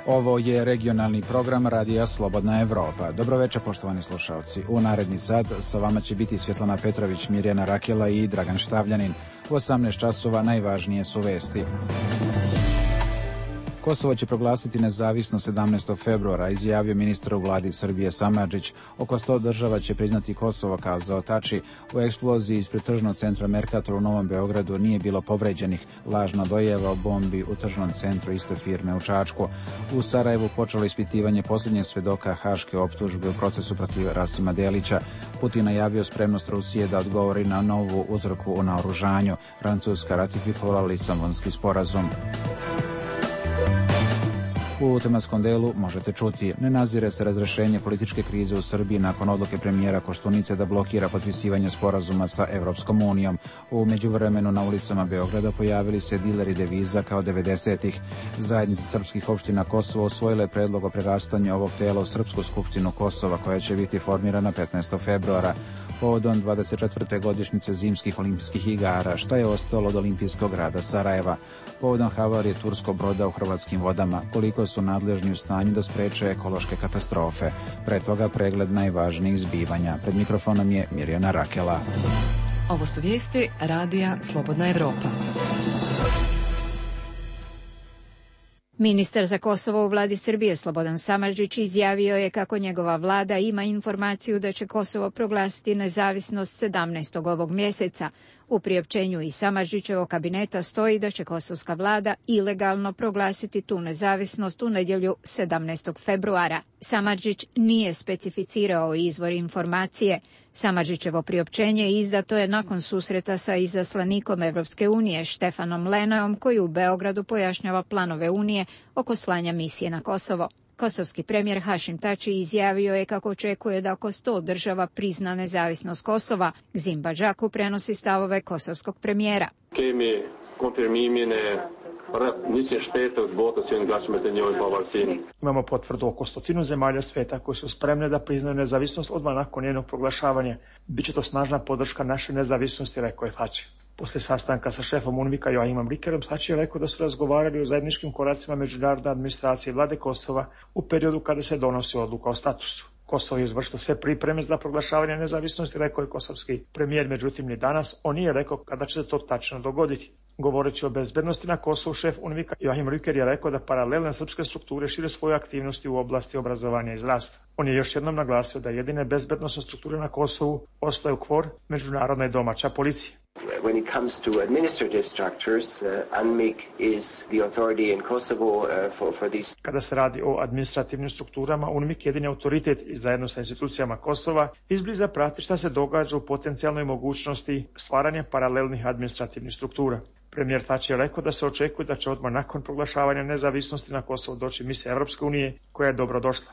Ovo je regionalni program Radija Slobodna Evropa. Dobroveče, poštovani slušalci. U naredni sat sa vama će biti Svjetlana Petrović, Mirjana Rakela i Dragan Štavljanin. U 18 časova najvažnije su vesti. Kosovo će proglasiti nezavisno 17. februara, izjavio ministar u vladi Srbije Samardžić. Oko 100 država će priznati Kosovo, kazao Tači. U eksploziji ispred tržnog centra Mercator u Novom Beogradu nije bilo povređenih. Lažna dojava o bombi u tržnom centru iste firme u Čačku. U Sarajevu počelo ispitivanje posljednjeg svedoka haške optužbe u procesu protiv Rasima Delića. Putin najavio spremnost Rusije da odgovori na novu utrku u naoružanju. Francuska ratifikovala Lisabonski sporazum. U tematskom delu možete čuti: ne nazire se razrešenje političke krize u Srbiji nakon odluke premijera Koštunice da blokira potpisivanje sporazuma sa Evropskom unijom. U međuvremenu na ulicama Beograda pojavili se dileri deviza kao 90-ih. Zajednica srpskih opština Kosovo usvojila je predlog o prerastanju ovog tela u Srpsku skupštinu Kosova, koja će biti formirana 15. februara. Povodom 24. godišnjice zimskih olimpijskih igara, šta je ostalo od olimpijskog grada Sarajeva? Povodom havarije turskog broda u hrvatskim vodama, koliko su nadležni u stanju da spreče ekološke katastrofe. Pre toga pregled najvažnijih zbivanja. Pred mikrofonom je Mirjana Rakela. Ovo su vijesti Radija Slobodna Evropa. Ministar za Kosovo u vladi Srbije Slobodan Samardžić izjavio je kako njegova vlada ima informaciju da će Kosovo proglasiti nezavisnost 17. ovog mjeseca. U priopćenju iz Samardžićevog kabineta stoji da će kosovska vlada ilegalno proglasiti tu nezavisnost u nedjelju 17. februara. Samardžić nije specificirao izvor informacije. Samardžićevo priopćenje izdato je nakon susreta sa izaslanikom Evropske unije Štefanom Leneom, koji u Beogradu pojašnjava planove Unije oko slanja misije na Kosovo. Kosovski premijer Hašim Tači izjavio je kako očekuje da oko 100 država prizna nezavisnost Kosova. Gzim Badžaku prenosi stavove kosovskog premijera. Imamo potvrdu oko 100 zemalja sveta koji su spremne da priznaju nezavisnost odmah nakon njenog proglašavanja. Biće to snažna podrška naše nezavisnosti, rekao je Tači. Poslije sastanka sa šefom UNMIK-a Joachimom Rickerom, Tači je rekao da su razgovarali o zajedničkim koracima međunarodne administracije vlade Kosova u periodu kada se donosi odluka o statusu. Kosovo je izvršilo sve pripreme za proglašavanje nezavisnosti, rekao je kosovski premijer, međutim ni danas on nije rekao kada će se to tačno dogoditi. Govoreći o bezbednosti na Kosovu, šef UNMIK-a Joachim Ricker je rekao da paralelne srpske strukture šire svoje aktivnosti u oblasti obrazovanja i zdravstva. On je još jednom naglasio da jedine bezbednosne strukture na Kosovu ostaju KFOR, međunarodna i domaća policija. When it comes to administrative structures, UNMIK is the authority in Kosovo for these. Kada se radi o administrativnim strukturama, UNMIK je jedini autoritet i zajedno sa institucijama Kosova izbliza prati šta se događa u potencijalnoj mogućnosti stvaranja paralelnih administrativnih struktura. Premijer Tači je rekao da se očekuje da će odmah nakon proglašavanja nezavisnosti na Kosovo doći misija Evropske unije, koja je dobrodošla.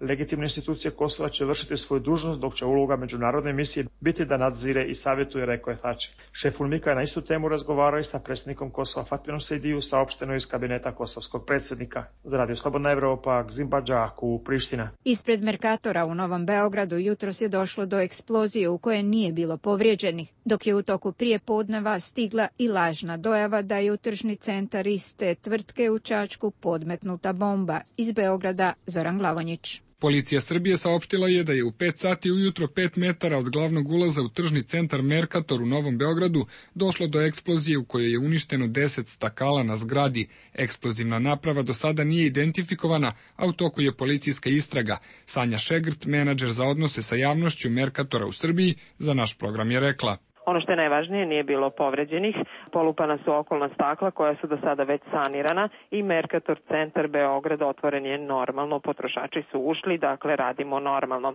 Legitimne institucije Kosova će vršiti svoju dužnost, dok će uloga međunarodne misije biti da nadzire i savjetuje, rekao je Tači. Šef UNMIK-a je na istu temu razgovarao i sa predsjednikom Kosova Fatmirom Sejdiju, saopšteno iz kabineta kosovskog predsjednika. Za Radio Slobodna Evropa, Gzim Badžaku, Priština. Ispred Mercatora u Novom Beogradu jutros je došlo do eksplozije u kojoj nije bilo povrijeđenih, dok je u toku prijepodneva stigla i lažna dojava da je u tržni centar iste tvrtke u Čačku podmetnuta bomba. Iz Beograda Zoran Glavonjić. Policija Srbije saopštila je da je u 5 sati ujutro 5 metara od glavnog ulaza u tržni centar Mercator u Novom Beogradu došlo do eksplozije u kojoj je uništeno 10 stakala na zgradi. Eksplozivna naprava do sada nije identifikovana, a u toku je policijska istraga. Sanja Šegrt, menadžer za odnose sa javnošću Mercatora u Srbiji, za naš program je rekla: Ono što je najvažnije, nije bilo povređenih, polupana su okolna stakla koja su do sada već sanirana i Mercator centar Beograd otvoren je normalno, potrošači su ušli, dakle radimo normalno.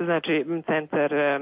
Znači,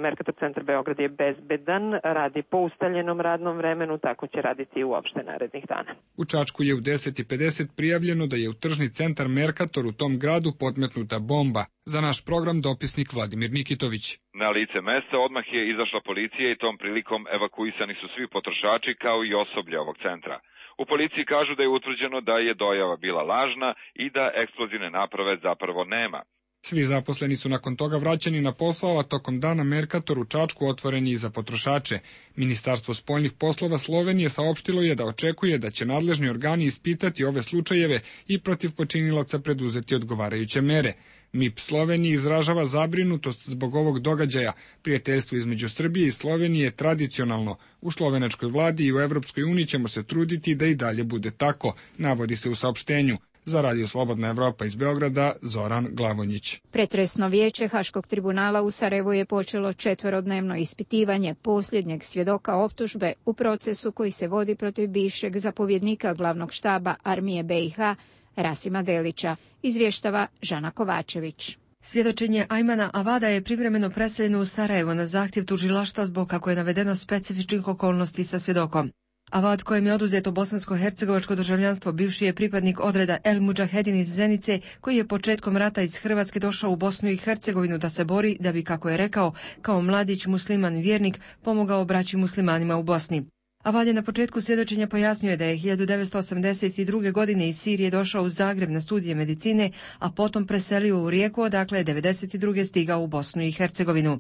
Mercator centar Beograd je bezbedan, radi po ustaljenom radnom vremenu, tako će raditi i uopšte narednih dana. U Čačku je u 10:50 prijavljeno da je u tržni centar Mercator u tom gradu podmetnuta bomba. Za naš program dopisnik Vladimir Nikitović. Na lice mesta odmah je izašla policija i tom prilikom evakuisani su svi potrošači kao i osoblje ovog centra. U policiji kažu da je utvrđeno da je dojava bila lažna i da eksplozivne naprave zapravo nema. Svi zaposleni su nakon toga vraćeni na posao, a tokom dana Merkator u Čačku otvoren je i za potrošače. Ministarstvo spoljnih poslova Slovenije saopštilo je da očekuje da će nadležni organi ispitati ove slučajeve i protiv počinilaca preduzeti odgovarajuće mere. MIP Slovenije izražava zabrinutost zbog ovog događaja. Prijateljstvo između Srbije i Slovenije je tradicionalno. U slovenačkoj vladi i u Evropskoj uniji ćemo se truditi da i dalje bude tako, navodi se u saopštenju. Za Radio Slobodna Evropa iz Beograda, Zoran Glavonjić. Pretresno vijeće Haškog tribunala u Sarajevu je počelo 4-dnevno ispitivanje posljednjeg svjedoka optužbe u procesu koji se vodi protiv bivšeg zapovjednika glavnog štaba armije BiH, Rasima Delića, izvještava Žana Kovačević. Svjedočenje Ajmana Avada je privremeno preseljeno u Sarajevo na zahtjev tužilaštva zbog, kako je navedeno, specifičnih okolnosti sa svjedokom. Avad, kojem je oduzeto bosansko-hercegovačko državljanstvo, bivši je pripadnik odreda El Mudžahedin iz Zenice, koji je početkom rata iz Hrvatske došao u Bosnu i Hercegovinu da se bori, da bi, kako je rekao, kao mladić musliman vjernik pomogao braći muslimanima u Bosni. Avad je na početku svjedočenja pojasnio da je 1982. godine iz Sirije došao u Zagreb na studije medicine, a potom preselio u Rijeku, odakle je 1992. stigao u Bosnu i Hercegovinu.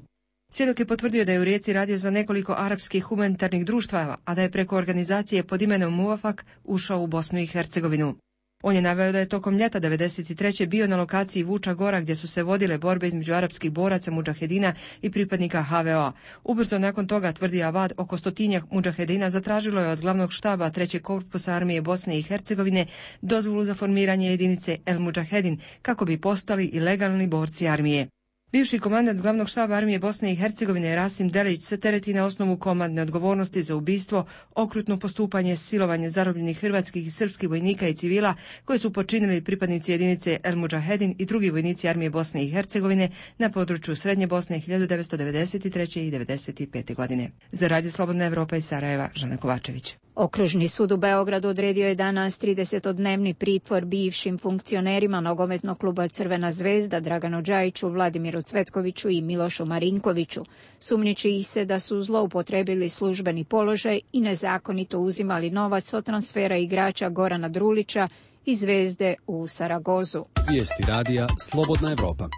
Svjedok je potvrdio da je u Rijeci radio za nekoliko arapskih humanitarnih društava, a da je preko organizacije pod imenom Muvafak ušao u Bosnu i Hercegovinu. On je naveo da je tokom ljeta 1993. bio na lokaciji Vuča Gora, gdje su se vodile borbe između arapskih boraca Mudžahedina i pripadnika HVO-a. Ubrzo nakon toga, tvrdi Avad, oko 100 Mudžahedina zatražilo je od glavnog štaba 3. korpusa armije Bosne i Hercegovine dozvolu za formiranje jedinice El Mudžahedin, kako bi postali i legalni borci armije. Bivši komandant glavnog štaba armije Bosne i Hercegovine Rasim Delić se tereti na osnovu komandne odgovornosti za ubistvo, okrutno postupanje, silovanje zarobljenih hrvatskih i srpskih vojnika i civila koje su počinili pripadnici jedinice El Mudžahedin i drugi vojnici armije Bosne i Hercegovine na području Srednje Bosne 1993. i 1995. godine. Za Radio Slobodna Evropa iz Sarajeva, Žana Kovačević. Okružni sud u Beogradu odredio je danas 30-dnevni pritvor bivšim funkcionerima nogometnog kluba Crvena zvezda Draganu Džajiću, Vladimiru Cvetkoviću i Milošu Marinkoviću. Sumnjiči ih se da su zloupotrebili službeni položaj i nezakonito uzimali novac od transfera igrača Gorana Drulića iz Zvezde u Saragozu. Vijesti radija Slobodna Evropa.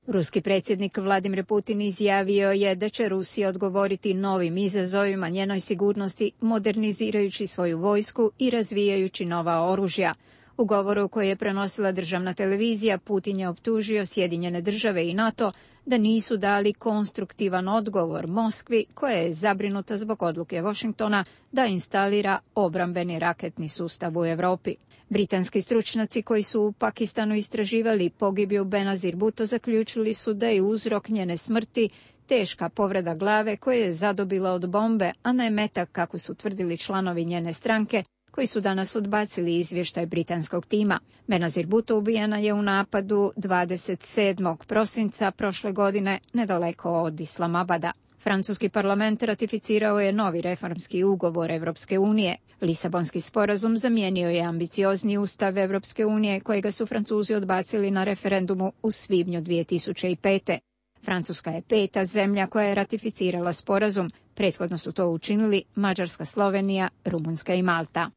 Ruski predsjednik Vladimir Putin izjavio je da će Rusija odgovoriti novim izazovima njenoj sigurnosti, modernizirajući svoju vojsku i razvijajući nova oružja. U govoru koji je prenosila državna televizija, Putin je optužio Sjedinjene države i NATO da nisu dali konstruktivan odgovor Moskvi, koja je zabrinuta zbog odluke Washingtona da instalira obrambeni raketni sustav u Europi. Britanski stručnjaci koji su u Pakistanu istraživali pogibiju Benazir Bhutto zaključili su da je uzrok njene smrti teška povreda glave koja je zadobila od bombe, a ne metak, kako su tvrdili članovi njene stranke, koji su danas odbacili izvještaj britanskog tima. Benazir Bhutto ubijena je u napadu 27. prosinca prošle godine nedaleko od Islamabada. Francuski parlament ratificirao je novi reformski ugovor Evropske unije. Lisabonski sporazum zamijenio je ambiciozni ustav Evropske unije kojega su Francuzi odbacili na referendumu u svibnju 2005. Francuska je 5. zemlja koja je ratificirala sporazum. Prethodno su to učinili Mađarska, Slovenija, Rumunjska i Malta.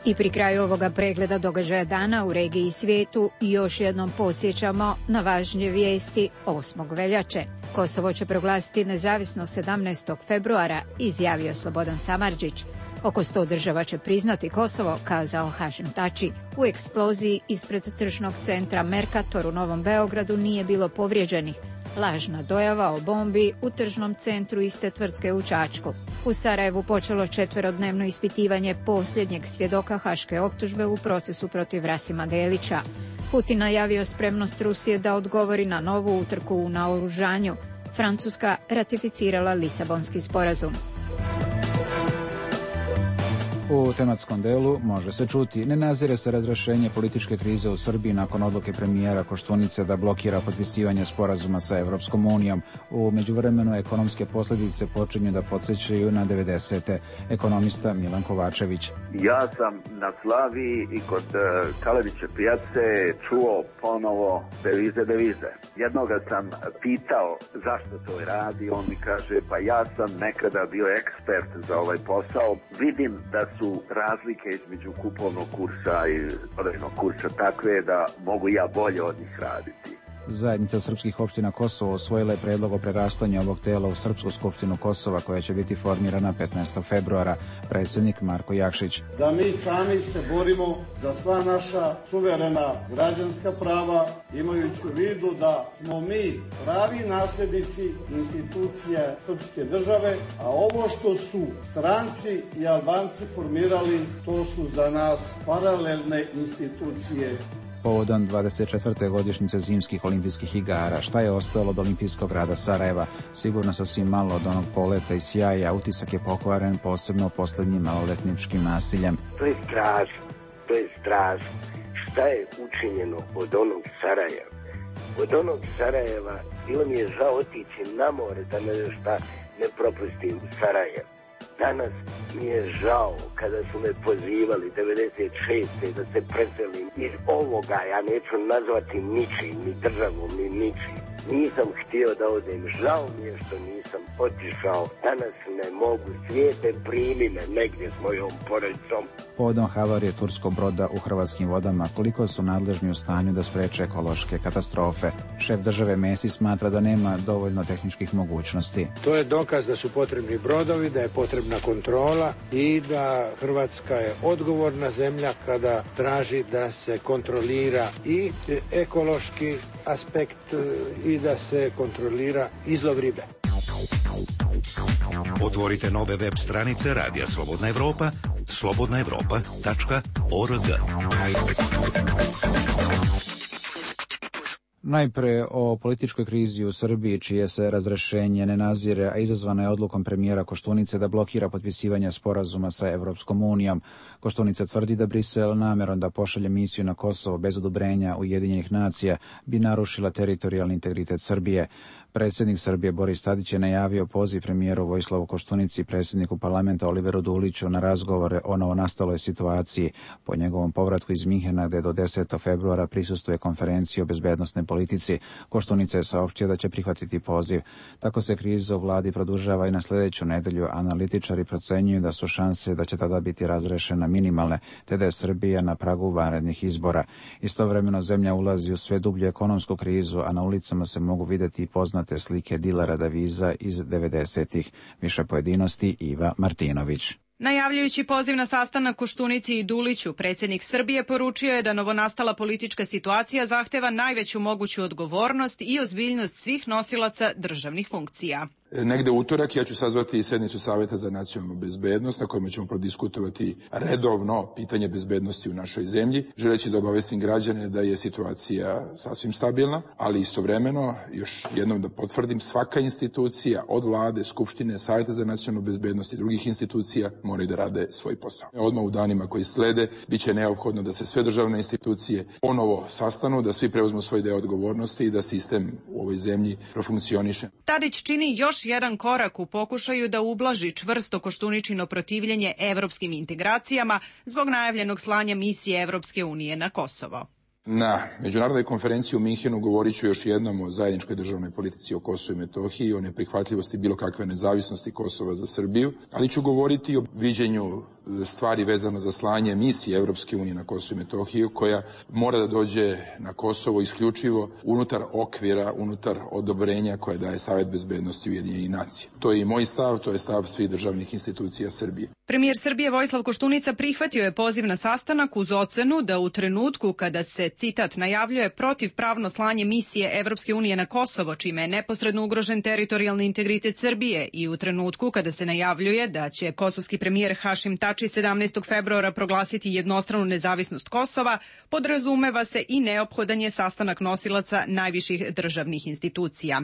I pri kraju ovoga pregleda događaja dana u regiji i svijetu još jednom podsjećamo na važnije vijesti 8. veljače. Kosovo će proglasiti nezavisnost 17. februara, izjavio Slobodan Samardžić. Oko 100 država će priznati Kosovo, kazao Hašim Tači. U eksploziji ispred tržnog centra Merkator u Novom Beogradu nije bilo povrijeđenih. Lažna dojava o bombi u tržnom centru iste tvrtke u Čačku. U Sarajevu počelo 4-dnevno ispitivanje posljednjeg svjedoka haške optužbe u procesu protiv Rasima Delića. Putin najavio spremnost Rusije da odgovori na novu utrku u naoružanju. Francuska ratificirala Lisabonski sporazum. U tematskom delu može se čuti: ne nazire se razrešenje političke krize u Srbiji nakon odluke premijera Koštunice da blokira potpisivanje sporazuma sa Evropskom unijom. U međuvremenu ekonomske posljedice počinju da podsjećaju na 90. Ekonomista Milan Kovačević. Ja sam na Slaviji i kod Kaleviće pijace čuo ponovo devize. Jednoga sam pitao zašto to radi, on mi kaže pa ja sam nekada bio ekspert za ovaj posao, vidim da su razlike između kupovnog kursa i prodajnog kursa takve da mogu ja bolje od njih raditi. Zajednica srpskih opština Kosovo usvojila je predlog o prerastanju ovog tela u Srpsku skupštinu Kosova koja će biti formirana 15. februara. Predsjednik Marko Jakšić. Da mi sami se borimo za sva naša suverena građanska prava, imajući u vidu da smo mi pravi nasljednici institucije srpske države, a ovo što su stranci i Albanci formirali, to su za nas paralelne institucije. Povodom 24. godišnjice zimskih olimpijskih igara, šta je ostalo od olimpijskog grada Sarajeva? Sigurno sasvim malo od onog poleta i sjaja, utisak je pokvaren, posebno posljednjim maloletničkim nasiljem. To je strašno. Šta je učinjeno od onog Sarajeva? Od onog Sarajeva bilo mi je žao otići na more da šta ne propustim u Sarajevo. Danas mi je žao kada su me pozivali 96. da se preselim iz ovoga, ja neću nazvati ničim, ni državom, ni ničim. Nisam htio da odem, žao mi je što nisam otišao. Danas ne mogu, svijete primi me negdje s mojom porodicom. Povodom havarije turskog broda u hrvatskim vodama, koliko su nadležni u stanju da spreče ekološke katastrofe? Šef države Mesić smatra da nema dovoljno tehničkih mogućnosti. To je dokaz da su potrebni brodovi, da je potrebna kontrola i da Hrvatska je odgovorna zemlja kada traži da se kontrolira i ekološki aspekt i da se kontrolira izlov ribe. Otvorite nove web stranice Radija Slobodna Evropa, slobodnaevropa.org. Najpre o političkoj krizi u Srbiji, čije se razrešenje ne nazire, a izazvana je odlukom premijera Koštunice da blokira potpisivanje sporazuma sa Evropskom unijom. Koštunica tvrdi da Brisel namerom da pošalje misiju na Kosovo bez odobrenja Ujedinjenih nacija bi narušila teritorijalni integritet Srbije. Predsjednik Srbije Boris Tadić je najavio poziv premijeru Vojislavu Koštunici i predsjedniku parlamenta Oliveru Duliću na razgovore o novonastaloj situaciji. Po njegovom povratku iz Minhena, gde do 10. februara prisustuje konferenciji o bezbednosnoj politici, Koštunica je saopštio da će prihvatiti poziv. Tako se kriza u vladi produžava i na sljedeću nedelju. Analitičari procenjuju da su šanse da će tada biti razrešena minimalne, te da je Srbija na pragu vanrednih izbora. Istovremeno zemlja ulazi u sve dublju ekonomsku krizu, a na ulicama se mogu vidjeti i poznate slike dilera deviza iz 90-ih. Više pojedinosti Iva Martinović. Najavljujući poziv na sastanak Koštunici i Duliću, predsjednik Srbije poručio je da novonastala politička situacija zahteva najveću moguću odgovornost i ozbiljnost svih nosilaca državnih funkcija. Negde utorak ja ću sazvati sednicu Saveta za nacionalnu bezbednost na kojima ćemo prodiskutovati redovno pitanje bezbednosti u našoj zemlji, želeći da obavestim građane da je situacija sasvim stabilna, ali istovremeno, još jednom da potvrdim, svaka institucija od vlade, skupštine, Saveta za nacionalnu bezbednost i drugih institucija moraju da rade svoj posao. Odmah u danima koji slede biće neophodno da se sve državne institucije ponovo sastanu, da svi preuzmu svoj deo odgovornosti i da sistem u ovoj zemlji profunkcioniše. Tadić čini još jedan korak u pokušaju da ublaži čvrsto Koštuničino protivljenje evropskim integracijama zbog najavljenog slanja misije Evropske unije na Kosovo. Na međunarodnoj konferenciji u Minhenu govorit ću još jednom o zajedničkoj državnoj politici o Kosovu i Metohiji, o neprihvatljivosti bilo kakve nezavisnosti Kosova za Srbiju, ali ću govoriti o viđenju stvari vezano za slanje misije Evropske unije na Kosovu i Metohiju, koja mora da dođe na Kosovo isključivo unutar okvira, unutar odobrenja koje daje Savet bezbednosti Ujedinjenih nacija. To je i moj stav, to je stav svih državnih institucija Srbije. Premijer Srbije Vojislav Koštunica prihvatio je poziv na sastanak uz ocenu da u trenutku kada se, citat, najavljuje protivpravno slanje misije Evropske unije na Kosovo, čime je neposredno ugrožen teritorijalni integritet Srbije, i u trenutku kada se najavljuje da će kosovski premijer Hašim Tači 17. februara proglasiti jednostranu nezavisnost Kosova, podrazumeva se i neophodan je sastanak nosilaca najviših državnih institucija.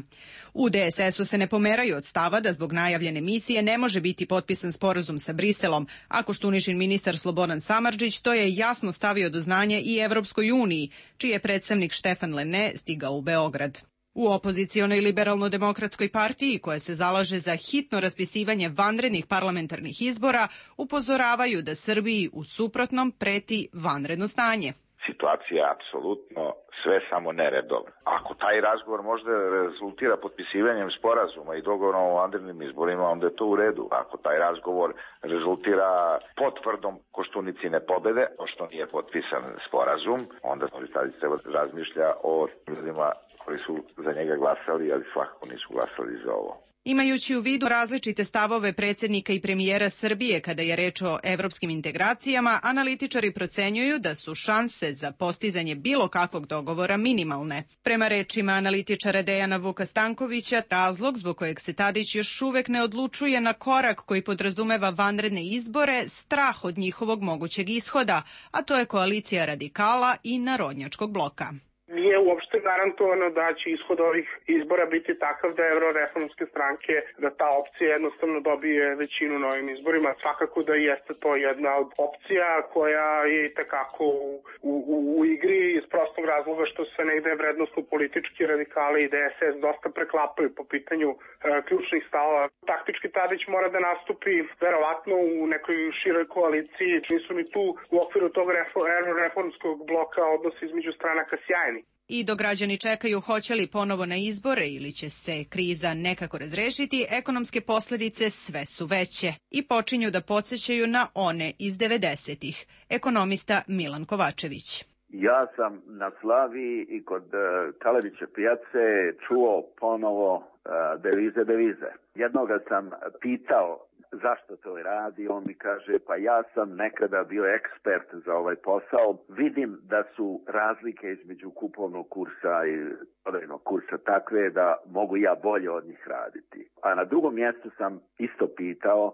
U DSS-u se ne pomeraju od stava da zbog najavljene misije ne može biti potpisan sporazum sa Briselom Briselom, a Koštuničin ministar Slobodan Samardžić to je jasno stavio do znanja i Evropskoj uniji, čiji je predstavnik Štefan Lene stigao u Beograd. U opozicionoj liberalno-demokratskoj partiji, koja se zalaže za hitno raspisivanje vanrednih parlamentarnih izbora, upozoravaju da Srbiji u suprotnom preti vanredno stanje. Situacija je apsolutno sve samo neredovna. Ako taj razgovor možda rezultira potpisivanjem sporazuma i dogovorom o vanrednim izborima, onda je to u redu. Ako taj razgovor rezultira potvrdom Koštunicine pobede, pošto nije potpisan sporazum, onda Tadić treba razmišlja o ljudima koji su za njega glasali, ali svakako nisu glasali za ovo. Imajući u vidu različite stavove predsjednika i premijera Srbije kada je reč o evropskim integracijama, analitičari procenjuju da su šanse za postizanje bilo kakvog dogovora minimalne. Prema rečima analitičara Dejana Vuka Stankovića, razlog zbog kojeg se Tadić još uvek ne odlučuje na korak koji podrazumeva vanredne izbore, strah od njihovog mogućeg ishoda, a to je koalicija radikala i narodnjačkog bloka. Nije uopšte garantovano da će ishod ovih izbora biti takav da euroreformske stranke, da ta opcija jednostavno dobije većinu na ovim izborima. Svakako da jeste to jedna od opcija koja je itekako u igri iz prostog razloga što se negde vrednostno politički radikali i DSS dosta preklapaju po pitanju ključnih stavova. Taktički Tadić mora da nastupi verovatno u nekoj široj koaliciji. Nisu ni tu u okviru tog reformskog bloka odnosi između stranaka sjajni. I dok građani čekaju hoće li ponovo na izbore ili će se kriza nekako razrešiti, ekonomske posljedice sve su veće i počinju da podsjećaju na one iz 90-ih. Ekonomista Milan Kovačević. Ja sam na Slaviji i kod Kaleviće pijace čuo ponovo devize. Jednoga sam pitao zašto to radi, on mi kaže pa ja sam nekada bio ekspert za ovaj posao, vidim da su razlike između kupovnog kursa i prodajnog kursa takve da mogu ja bolje od njih raditi. A na drugom mjestu sam isto pitao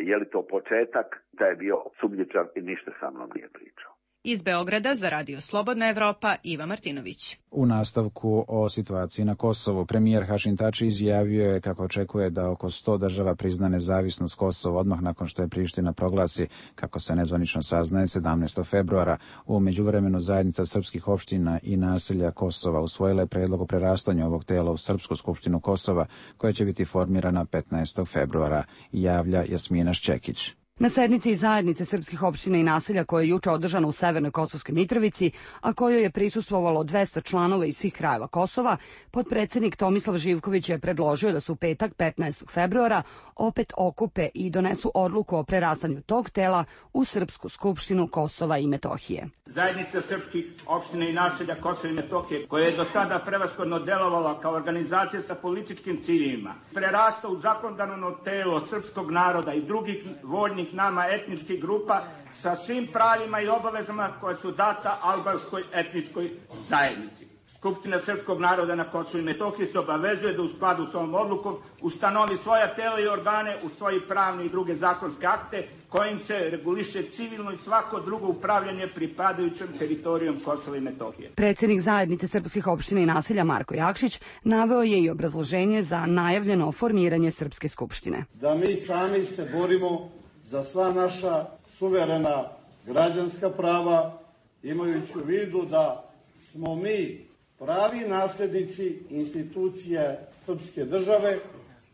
je li to početak, da je bio sumnjičav i ništa sa mnom nije pričao. Iz Beograda za Radio Slobodna Evropa, Iva Martinović. U nastavku o situaciji na Kosovu, premijer Hašim Tači izjavio je kako očekuje da oko 100 država prizna nezavisnost Kosova odmah nakon što je Priština proglasi, kako se nezvanično saznaje, 17. februara. U međuvremenu zajednica srpskih opština i naselja Kosova usvojila je predlog o prerastanju ovog tela u Srpsku skupštinu Kosova, koja će biti formirana 15. februara, javlja Jasmina Šćekić. Na sednici zajednice srpskih opština i naselja koja je juče održana u Severnoj Kosovskoj Mitrovici, a kojoj je prisustvovalo 200 članova iz svih krajeva Kosova, potpredsjednik Tomislav Živković je predložio da se u petak 15. februara opet okupe i donesu odluku o prerastanju tog tela u Srpsku skupštinu Kosova i Metohije. Zajednica srpskih opština i naselja Kosova i Metohije, koja je do sada prevashodno delovala kao organizacija sa političkim ciljevima, prerasta u zakonodavno telo srpskog naroda i drugih voljnih nama etničkih grupa sa svim pravima i obavezama koje su data albanskoj etničkoj zajednici. Skupština srpskog naroda na Kosovu i Metohiji se obavezuje da u skladu s ovom odlukom ustanovi svoja tela i organe u svoji pravni i druge zakonske akte kojim se reguliše civilno i svako drugo upravljanje pripadajućom teritorijom Kosova i Metohije. Predsjednik zajednice srpskih opština i naselja Marko Jakšić naveo je i obrazloženje za najavljeno formiranje Srpske skupštine. Da mi sami se borimo za sva naša suverena građanska prava, imajući u vidu da smo mi pravi nasljednici institucije srpske države,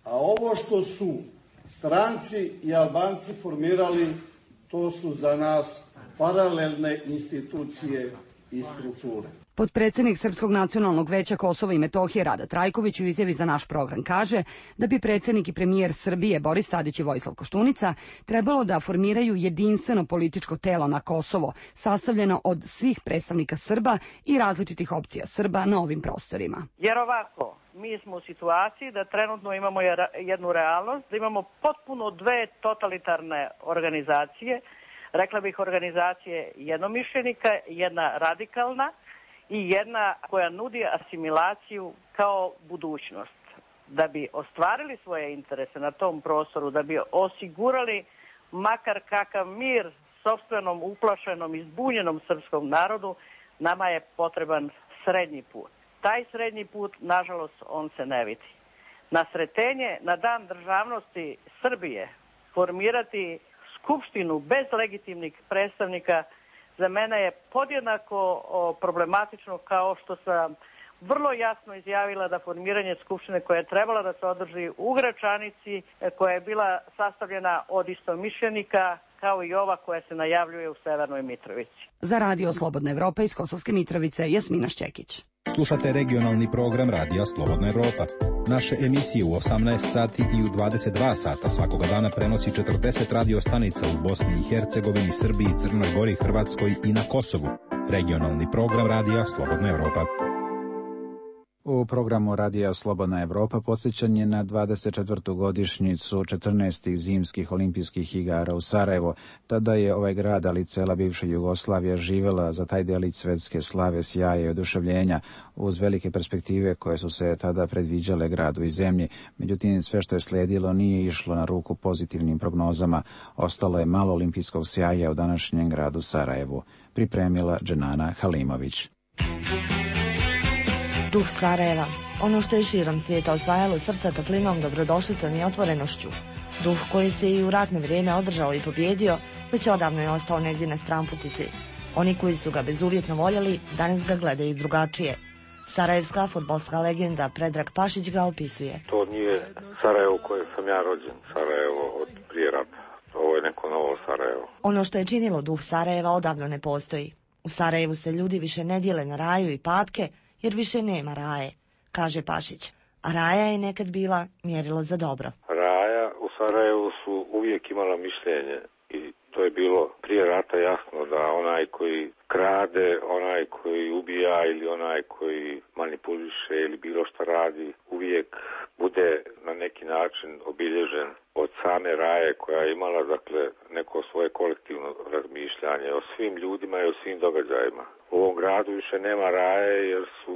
a ovo što su stranci i Albanci formirali, to su za nas paralelne institucije i strukture. Potpredsjednik Srpskog nacionalnog veća Kosova i Metohije Rada Trajković u izjavi za naš program kaže da bi predsjednik i premijer Srbije Boris Tadić i Vojislav Koštunica trebalo da formiraju jedinstveno političko telo na Kosovo, sastavljeno od svih predstavnika Srba i različitih opcija Srba na ovim prostorima. Jer ovako, mi smo u situaciji da trenutno imamo jednu realnost, da imamo potpuno dve totalitarne organizacije, rekla bih organizacije jednomišljenika, jedna radikalna i jedna koja nudi asimilaciju kao budućnost. Da bi ostvarili svoje interese na tom prostoru, da bi osigurali makar kakav mir sopstvenom, uplašenom i zbunjenom srpskom narodu, nama je potreban srednji put. Taj srednji put, nažalost, on se ne vidi. Na Sretenje, na dan državnosti Srbije, formirati skupštinu bez legitimnih predstavnika za mene je podjednako problematično kao što sam vrlo jasno izjavila da formiranje skupštine koja je trebala da se održi u Gračanici, koja je bila sastavljena od istomišljenika, kao i ova koja se najavljuje u Severnoj Mitrovici. Za Radio Slobodna Evropa iz Kosovske Mitrovice, Jasmina Šćekić. Slušate regionalni program Radija Slobodna Evropa. Naše emisije u 18 sati i u 22 sata svakoga dana prenosi 40 radio stanica u Bosni i Hercegovini, Srbiji, Crnoj Gori, Hrvatskoj i na Kosovu. Regionalni program Radija Slobodna Evropa. U programu Radija Slobodna Evropa podsjećanje na 24. godišnjicu 14. zimskih olimpijskih igara u Sarajevo. Tada je ovaj grad, ali cela bivša Jugoslavija, živela za taj delić svetske slave, sjaja i oduševljenja, uz velike perspektive koje su se tada predviđale gradu i zemlji. Međutim, sve što je slijedilo nije išlo na ruku pozitivnim prognozama. Ostalo je malo olimpijskog sjaja u današnjem gradu Sarajevu. Pripremila Dženana Halimović. Duh Sarajeva, ono što je širom svijeta osvajalo srca toplinom, dobrodošlicom i otvorenošću. Duh koji se i u ratno vrijeme održao i pobjedio, već odavno je ostao negdje na stranputici. Oni koji su ga bezuvjetno voljeli, danas ga gledaju drugačije. Sarajevska fudbalska legenda Predrag Pašić ga opisuje. To nije Sarajevo u kojem sam ja rođen, Sarajevo od prije rata. Ovo je neko novo Sarajevo. Ono što je činilo duh Sarajeva odavno ne postoji. U Sarajevu se ljudi više ne dijele na raju i papke, jer više nema raje, kaže Pašić. A raja je nekad bila mjerilo za dobro. Raja u Sarajevu su uvijek imala mišljenje i to je bilo prije rata jasno da onaj koji krade, onaj koji ubija ili onaj koji manipuliše ili bilo što radi, uvijek bude na neki način obilježen od same raje koja je imala, dakle, neko svoje kolektivno razmišljanje o svim ljudima i o svim događajima. U ovom gradu više nema raje jer su,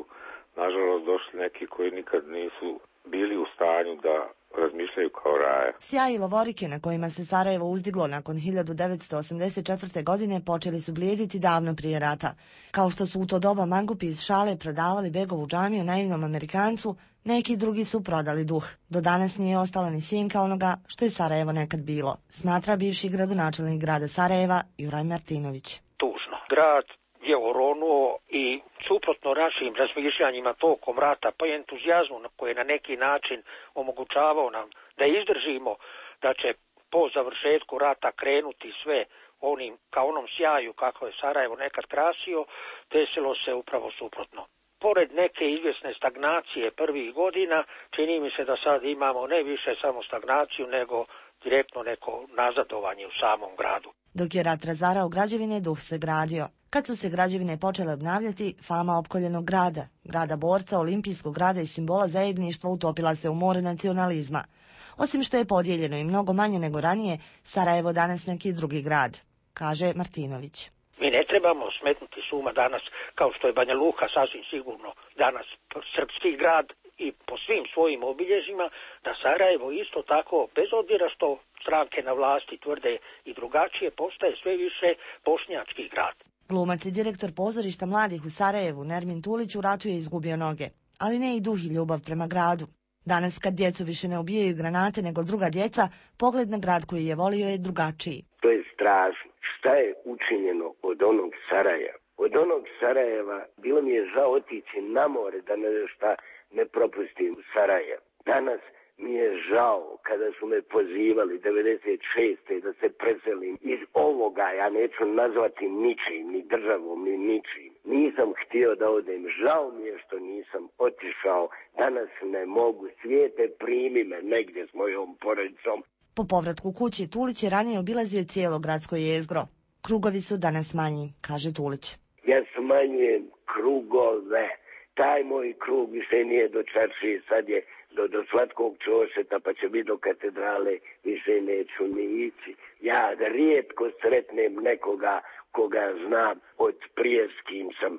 nažalost, došli neki koji nikad nisu bili u stanju da razmišljaju kao raje. Sjaj i lovorike na kojima se Sarajevo uzdiglo nakon 1984. godine počeli su blijediti davno prije rata. Kao što su u to doba mangupi iz šale prodavali begovu džamiju naivnom Amerikancu, neki drugi su prodali duh. Do danas nije ostala ni sjenka onoga što je Sarajevo nekad bilo, smatra bivši gradonačelnik grada Sarajeva Juraj Martinović. Tužno. Grad je oronuo i suprotno našim razmišljanjima tokom rata, pa i entuzijazmu koji je na neki način omogućavao nam da izdržimo da će po završetku rata krenuti sve onim, ka onom sjaju kako je Sarajevo nekad krasio, desilo se upravo suprotno. Pored neke izvjesne stagnacije prvih godina, čini mi se da sad imamo ne više samo stagnaciju, nego direktno neko nazadovanje u samom gradu. Dok je rat razarao građevine, duh se gradio. Kad su se građevine počele obnavljati, fama opkoljenog grada, grada borca, olimpijskog grada i simbola zajedništva utopila se u more nacionalizma. Osim što je podijeljeno i mnogo manje nego ranije, Sarajevo danas neki drugi grad, kaže Martinović. Mi ne trebamo smetnuti suma danas, kao što je Banja Luka sasvim sigurno danas srpski grad i po svim svojim obilježjima, da Sarajevo isto tako, bez obzira što stranke na vlasti tvrde i drugačije, postaje sve više bošnjački grad. Glumac i direktor pozorišta mladih u Sarajevu, Nermin Tulić, u ratu je izgubio noge, ali ne i duh i ljubav prema gradu. Danas kad djecu više ne ubijaju granate nego druga djeca, pogled na grad koji je volio je drugačiji. To je strašno. Šta je učinjeno od onog Sarajeva? Od onog Sarajeva bilo mi je žao otići na more da šta ne propustim Sarajevo. Danas mi je žao kada su me pozivali 96. da se preselim iz ovoga, ja neću nazvati ničim, ni državom, ni ničim. Nisam htio da odem, žao mi je što nisam otišao, danas ne mogu, svijete primi me negdje s mojom porodicom. Po povratku kući Tulić je ranije obilazio cijelo gradsko jezgro. Krugovi su danas manji, kaže Tulić. Ja smanjujem krugove, taj moj krug više nije do Čaršije, sad je do Slatkog Čošeta, pa će biti do katedrale, više neću ni ići. Ja rijetko sretnem nekoga koga znam od prije s kim sam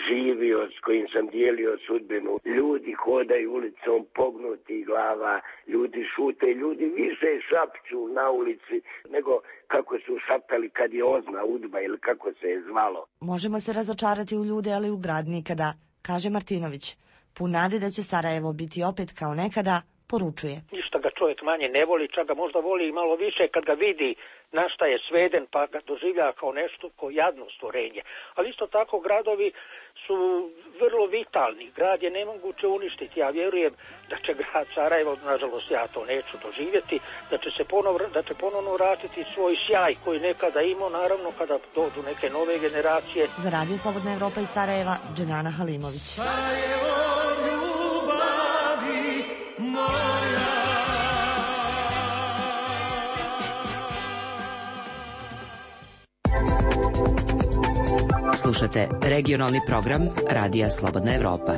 živio, s kojim sam dijelio sudbinu. Ljudi hodaju ulicom pognutih glava, ljudi šute, ljudi više šapću na ulici nego kako su šaptali kad je Ozna Udba ili kako se je zvalo. Možemo se razočarati u ljude, ali u grad nikada, kaže Martinović. Pun nade da će Sarajevo biti opet kao nekada, poručuje. Ništa ga čovjek manje ne voli, čak ga možda voli i malo više kad ga vidi na šta je sveden, pa ga doživlja kao nešto, kao jadno stvorenje. Ali isto tako gradovi su vrlo vitalni. Grad je nemoguće uništiti. Ja vjerujem da će grad Sarajevo, nažalost ja to neću doživjeti, da će ponovno vratiti svoj sjaj koji nekada imao, naravno kada dođu neke nove generacije. Za Radio Slobodna Evropa iz Sarajeva, Dženana Halimović. Sarajevo, ljubavi moja. Slušate regionalni program Radija Slobodna Evropa.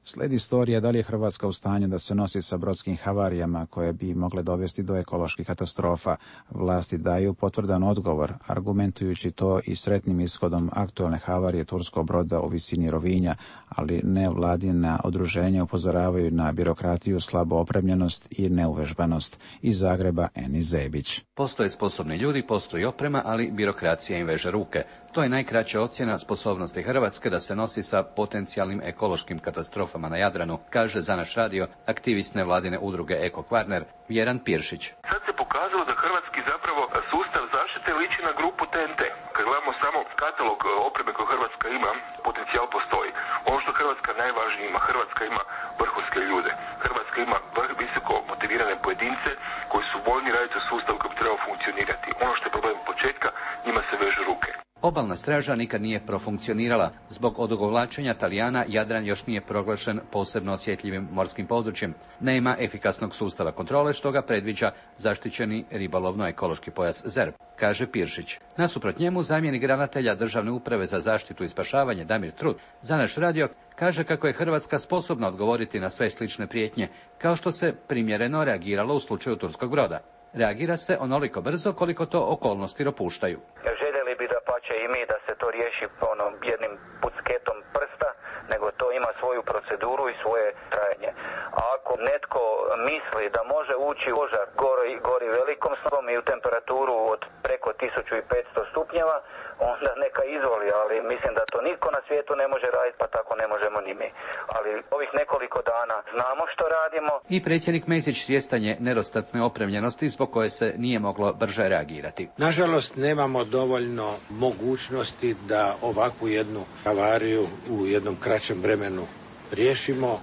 Sledi istorija da li je Hrvatska u stanju da se nosi sa brodskim havarijama koje bi mogle dovesti do ekoloških katastrofa. Vlasti daju potvrdan odgovor, argumentujući to i sretnim ishodom aktualne havarije turskog broda u visini Rovinja, ali nevladina udruženja upozoravaju na birokratiju, slabu opremljenost i neuvežbanost. Iz Zagreba Eni Zebić. Postoje sposobni ljudi, postoji oprema, ali birokracija im veže ruke. To je najkraća ocjena sposobnosti Hrvatske da se nosi sa potencijalnim ekološkim katastrofama na Jadranu, kaže za naš radio aktivist nevladine udruge Eko Kvarner Vjeran Piršić. Sad se pokazalo da hrvatski zapravo sustav zaštite liči na grupu TNT. Kad gledamo samo katalog opreme koju Hrvatska ima, potencijal postoji. Ono što Hrvatska najvažnije ima, Hrvatska ima vrhunske ljude. Hrvatska ima visoko motivirane pojedince koji su voljni raditi u sustavu koji bi trebao funkcionirati. Ono što je problem početka, njima se vežu ruke. Obalna straža nikad nije profunkcionirala. Zbog odugovlačenja Talijana Jadran još nije proglašen posebno osjetljivim morskim područjem. Nema efikasnog sustava kontrole što ga predviđa zaštićeni ribolovno-ekološki pojas ZERP, kaže Piršić. Nasuprot njemu zamjenik ravnatelja Državne uprave za zaštitu i spašavanje Damir Trut za naš radio kaže kako je Hrvatska sposobna odgovoriti na sve slične prijetnje, kao što se primjereno reagiralo u slučaju turskog broda. Reagira se onoliko brzo koliko to okolnosti dopuštaju. Željeli bi da pače i mi da se to riješi jednim pucketom prsta, nego to ima svoju proceduru i svoje trajanje. A ako netko misli da može ući u požar gori velikom snagom i u temperaturu od preko 1500 stupnjeva, onda neka izvoli, ali mislim da to nitko na svijetu ne može raditi, pa tako ne možemo ni mi. Ali ovih nekoliko dana znamo što radimo. I predsjednik Mesić svjestan je nedostatne opremljenosti zbog koje se nije moglo brže reagirati. Nažalost, nemamo dovoljno mogućnosti da ovakvu jednu havariju u jednom kraćem vremenu riješimo.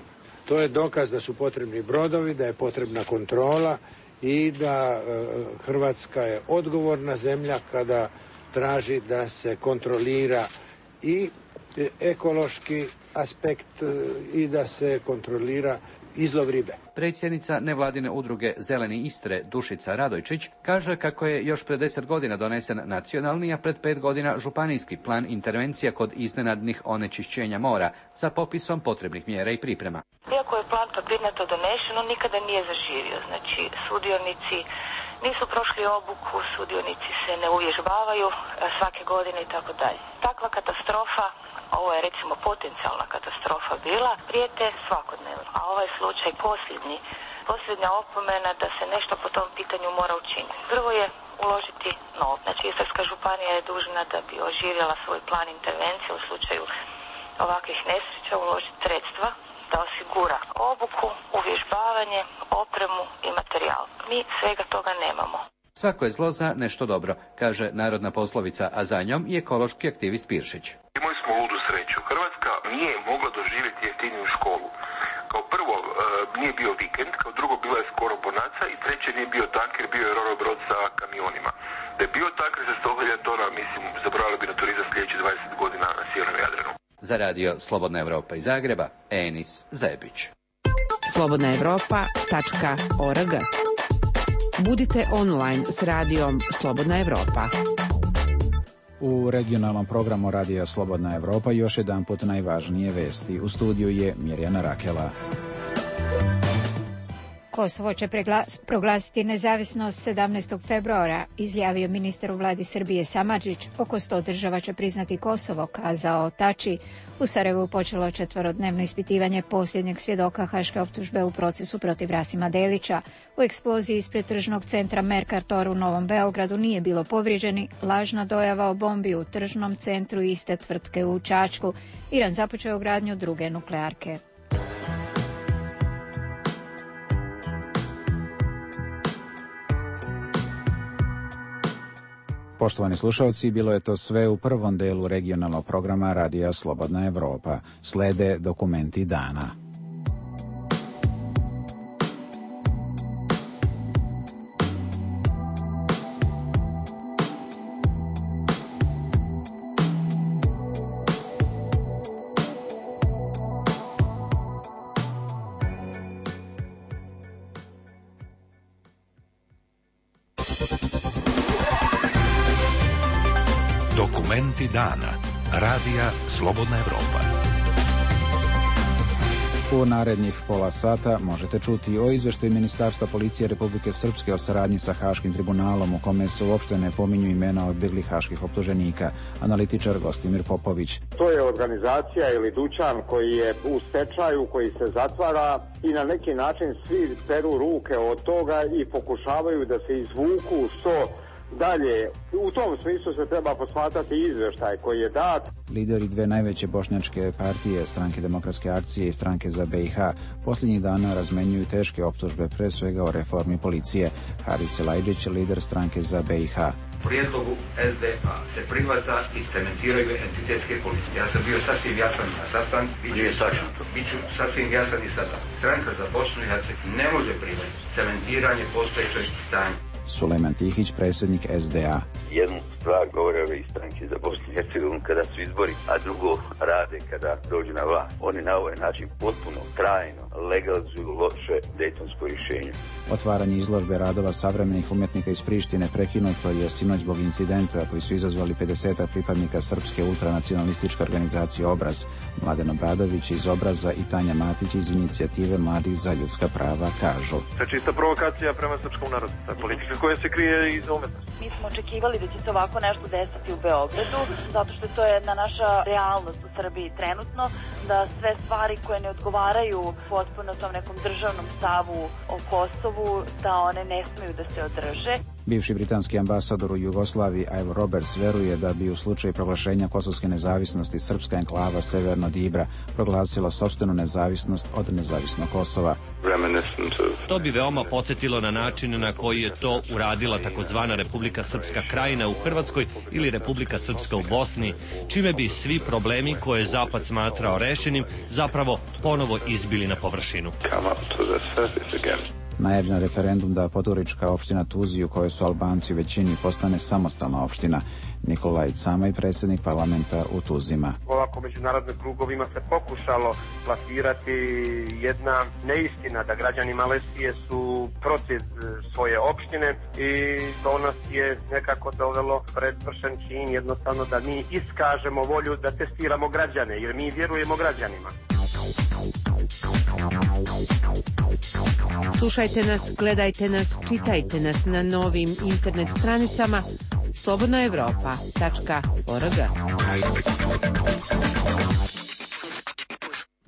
To je dokaz da su potrebni brodovi, da je potrebna kontrola i da Hrvatska je odgovorna zemlja kada traži da se kontrolira i ekološki aspekt i da se kontrolira izlov ribe. Predsjednica nevladine udruge Zeleni Istre Dušica Radojčić kaže kako je još pred 10 godina donesen nacionalni, a pred 5 godina županijski plan intervencija kod iznenadnih onečišćenja mora sa popisom potrebnih mjera i priprema. Iako je plan papirnato donesen, on nikada nije zaživio. Znači, sudionici nisu prošli obuku, sudionici se ne uvježbavaju svake godine i tako dalje. Takva katastrofa, ovo je recimo potencijalna katastrofa bila, prijete svakodnevno. A ovaj slučaj posljednja opomena da se nešto po tom pitanju mora učiniti. Prvo je uložiti novac. Znači, Istarska županija je dužna da bi oživjela svoj plan intervencije u slučaju ovakvih nesreća, uložiti sredstva da osigura obuku, uvježbavanje, opremu i materijal. Mi svega toga nemamo. Svako je zlo za nešto dobro, kaže narodna poslovica, a za njom i ekološki aktivist Piršić. Imali smo ludu sreću. Hrvatska nije mogla doživjeti jeftiniju školu. Kao prvo, nije bio vikend, kao drugo, bila je skoro bonaca i treće, nije bio tanker, bio je roro brod sa kamionima. Da je bio tanker za 100.000 tona, mislim, zaboravili bi na turizam sljedećih 20 godina na sjevernom Jadranu. Za radio Slobodna Evropa iz Zagreba, Enis Zebić. slobodnaevropa.org. Budite online s radijom Slobodna Evropa. U regionalnom programu Radija Slobodna Evropa još jedanput najvažnije vesti. U studiju je Mirjana Rakela. Kosovo će proglasiti nezavisnost 17. februara, izjavio ministar u vladi Srbije Samardžić. Oko 100 država će priznati Kosovo, kazao Tači. U Sarajevu počelo 4-dnevno ispitivanje posljednjeg svjedoka haške optužbe u procesu protiv Rasima Delića. U eksploziji ispred tržnog centra Mercator u Novom Beogradu nije bilo povrijeđeni. Lažna dojava o bombi u tržnom centru iste tvrtke u Čačku. Iran započeo gradnju druge nuklearke. Poštovani slušalci, bilo je to sve u prvom delu regionalnog programa Radija Slobodna Evropa. Slede dokumenti dana. Dokumenti dana. Radija Slobodna Evropa. U narednih pola sata možete čuti o izveštaju Ministarstva policije Republike Srpske o saradnji sa Haškim tribunalom u kome se uopšte ne pominju imena odbjeglih haških optuženika. Analitičar Gostimir Popović. To je organizacija ili dućan koji je u stečaju, koji se zatvara i na neki način svi peru ruke od toga i pokušavaju da se izvuku što dalje. U tom smislu se treba posmatrati izveštaj koji je dat. Lideri dve najveće bošnjačke partije, Stranke demokratske akcije i Stranke za BiH, posljednjih dana razmenjuju teške optužbe, pre svega o reformi policije. Haris Elajđić, lider Stranke za BiH. Prijedlogu SDA se prihvata i cementiraju entitetske policije. Ja sam bio sasvim jasan na sastanku, biću sasvim jasan i sada. Stranka za Bosnu i Hercegovinu ne može prihvatiti cementiranje postojećeg stanja. Sulejman Tihić, predsjednik SDA. Jednu stvar govore ove stranke za Bosnu i Hercegovinu kada su izbori, a drugo rade kada dođu na vlast. Oni na ovaj način potpuno, trajno legalizuju loše dejtonsko rješenje. Otvaranje izložbe radova savremenih umjetnika iz Prištine prekinuto je sinoć zbog incidenta koji su izazvali 50 pripadnika srpske ultranacionalističke organizacije Obraz. Mladen Obradović iz Obraza i Tanja Matić iz inicijative Mladih za ljudska prava kažu. To je čista provokacija prema srpskom narodu. Politika koja se krije iz umetnosti. Mi smo očekivali da će se ovako nešto desiti u Beogradu, zato što to je jedna naša realnost u Srbiji trenutno, da sve stvari koje ne odgovaraju potpuno tom nekom državnom stavu o Kosovu, da one ne smiju da se održe. Bivši britanski ambasador u Jugoslaviji Ivo Roberts veruje da bi u slučaju proglašenja kosovske nezavisnosti srpska enklava Severno od Ibra proglasila sopstvenu nezavisnost od nezavisnog Kosova. To bi veoma podsjetilo na način na koji je to uradila takozvana Republika Srpska Krajina u Hrvatskoj ili Republika Srpska u Bosni, čime bi svi problemi koje je Zapad smatrao rešenim zapravo ponovo izbili na površinu. Najavljen referendum da Podgorička opština Tuzi, u kojoj su Albanci u većini, postane samostalna opština. Nikolaj Camaj, predsjednik parlamenta u Tuzima. Ovako međunarodnim krugovima se pokušalo plasirati jedna neistina da građani Malezije su protiv svoje opštine i to nas je nekako dovelo pred svršen čin, jednostavno da mi iskažemo volju da testiramo građane, jer mi vjerujemo građanima. Slušajte nas, gledajte nas, čitajte nas na novim internet stranicama slobodnoevropa.org.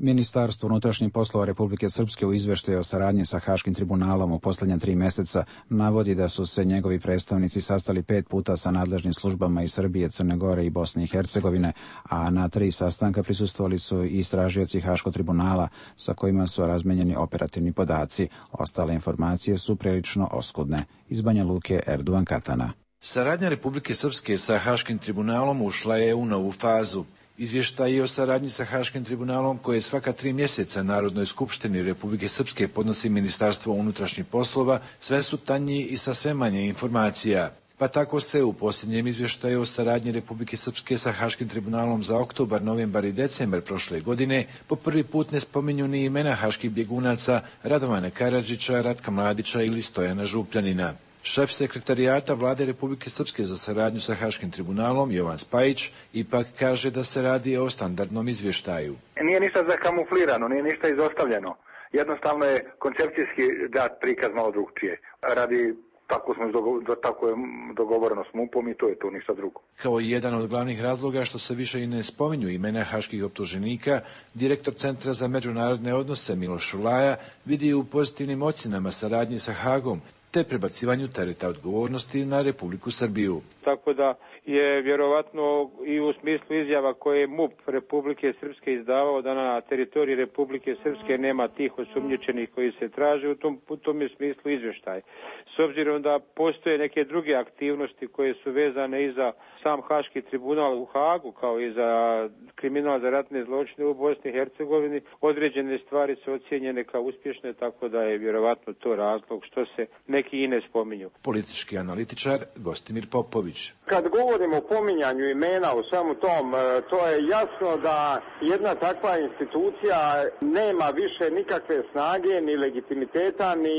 Ministarstvo unutrašnjih poslova Republike Srpske u izveštaju o saradnji sa Haškim tribunalom u posljednja 3 mjeseca navodi da su se njegovi predstavnici sastali 5 puta sa nadležnim službama iz Srbije, Crne Gore i Bosne i Hercegovine, a na 3 sastanka prisustvovali su i istražioci Haškog tribunala sa kojima su razmenjeni operativni podaci. Ostale informacije su prilično oskudne. Iz Banja Luke, Erduan Katana. Saradnja Republike Srpske sa Haškim tribunalom ušla je u novu fazu. Izvještaji o saradnji sa Haškim tribunalom koje svaka 3 mjeseca Narodnoj skupštini Republike Srpske podnosi Ministarstvo unutrašnjih poslova sve su tanji i sa sve manje informacija. Pa tako se u posljednjem izvještaju o saradnji Republike Srpske sa Haškim tribunalom za oktobar, novembar i decembar prošle godine po prvi put ne spominju ni imena haških bjegunaca Radovana Karadžića, Ratka Mladića ili Stojana Župljanina. Šef sekretarijata Vlade Republike Srpske za saradnju sa Haškim tribunalom, Jovan Spajić, ipak kaže da se radi o standardnom izvještaju. Nije ništa zakamuflirano, nije ništa izostavljeno. Jednostavno je koncepcijski dat prikaz malo drugčije. Radi tako je dogovoreno s MUP-om i to je to, ništa drugo. Kao jedan od glavnih razloga što se više i ne spominju imena haških optuženika, direktor Centra za međunarodne odnose Miloš Šulaja vidi u pozitivnim ocjenama saradnje sa Hagom, te prebacivanju tereta odgovornosti na Republiku Srbiju. Tako da je vjerovatno i u smislu izjava koje je MUP Republike Srpske izdavao da na teritoriji Republike Srpske nema tih osumnjičenih koji se traže, u tom je smislu izvještaj. S obzirom da postoje neke druge aktivnosti koje su vezane i za sam Haški tribunal u Hagu, kao i za kriminal za ratne zločine u Bosni i Hercegovini, određene stvari su ocijenjene kao uspješne, tako da je vjerovatno to razlog što se neki i ne spominju. Politički analitičar Gostimir Popović. Kad govorimo o pominjanju imena u svemu tom, to je jasno da jedna takva institucija nema više nikakve snage, ni legitimiteta, ni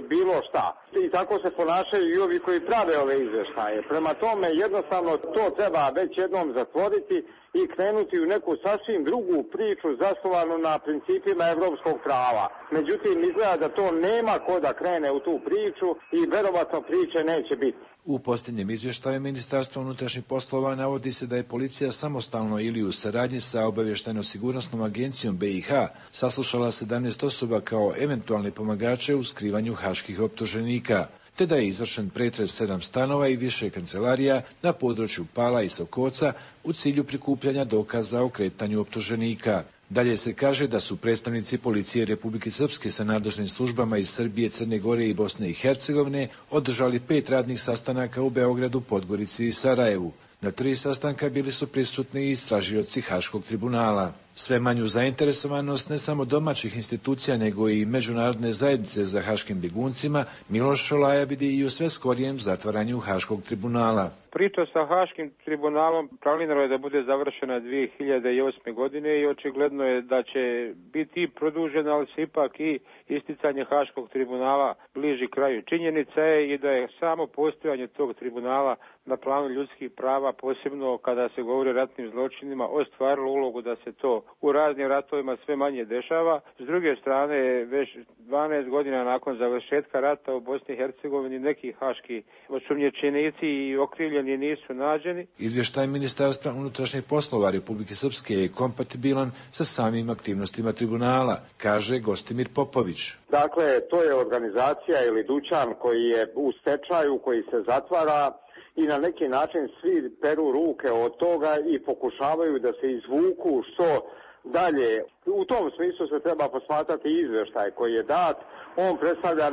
bilo šta. I tako se ponašaju i ovi koji prave ove izvještaje. Prema tome, jednostavno to treba već jednom zatvoriti i krenuti u neku sasvim drugu priču zasnovanu na principima evropskog prava. Međutim, izgleda da to nema ko da krene u tu priču i verovatno priče neće biti. U posljednjem izvještaju Ministarstva unutrašnjih poslova navodi se da je policija samostalno ili u saradnji sa obavještajno-sigurnosnom agencijom BiH saslušala 17 osoba kao eventualne pomagače u skrivanju haških optuženika, te da je izvršen pretres 7 stanova i više kancelarija na području Pala i Sokoca u cilju prikupljanja dokaza o kretanju optuženika. Dalje se kaže da su predstavnici policije Republike Srpske sa nadležnim službama iz Srbije, Crne Gore i Bosne i Hercegovine održali 5 radnih sastanaka u Beogradu, Podgorici i Sarajevu. Na 3 sastanka bili su prisutni i istražioci Haškog tribunala. Sve manju zainteresovanost ne samo domaćih institucija nego i međunarodne zajednice za haškim bjeguncima Miloš Šolaja vidi i u sve skorijem zatvaranju Haškog tribunala. Priča sa Haškim tribunalom planirano je da bude završena 2008. godine i očigledno je da će biti produžena, ali se ipak i isticanje Haškog tribunala bliži kraju. Činjenica je i da je samo postojanje tog tribunala na planu ljudskih prava, posebno kada se govori o ratnim zločinima, ostvarilo ulogu da se to u raznim ratovima sve manje dešava. S druge strane, već 12 godina nakon završetka rata u Bosni i Hercegovini neki haški osumnjičenici i okrivljeni nisu nađeni. Izvještaj Ministarstva unutrašnjih poslova Republike Srpske je kompatibilan sa samim aktivnostima tribunala, kaže Gostimir Popović. Dakle, to je organizacija ili dućan koji je u stečaju, koji se zatvara i na neki način svi peru ruke od toga i pokušavaju da se izvuku što dalje. U tom smislu se treba posmatrati izvještaj koji je dat. On predstavlja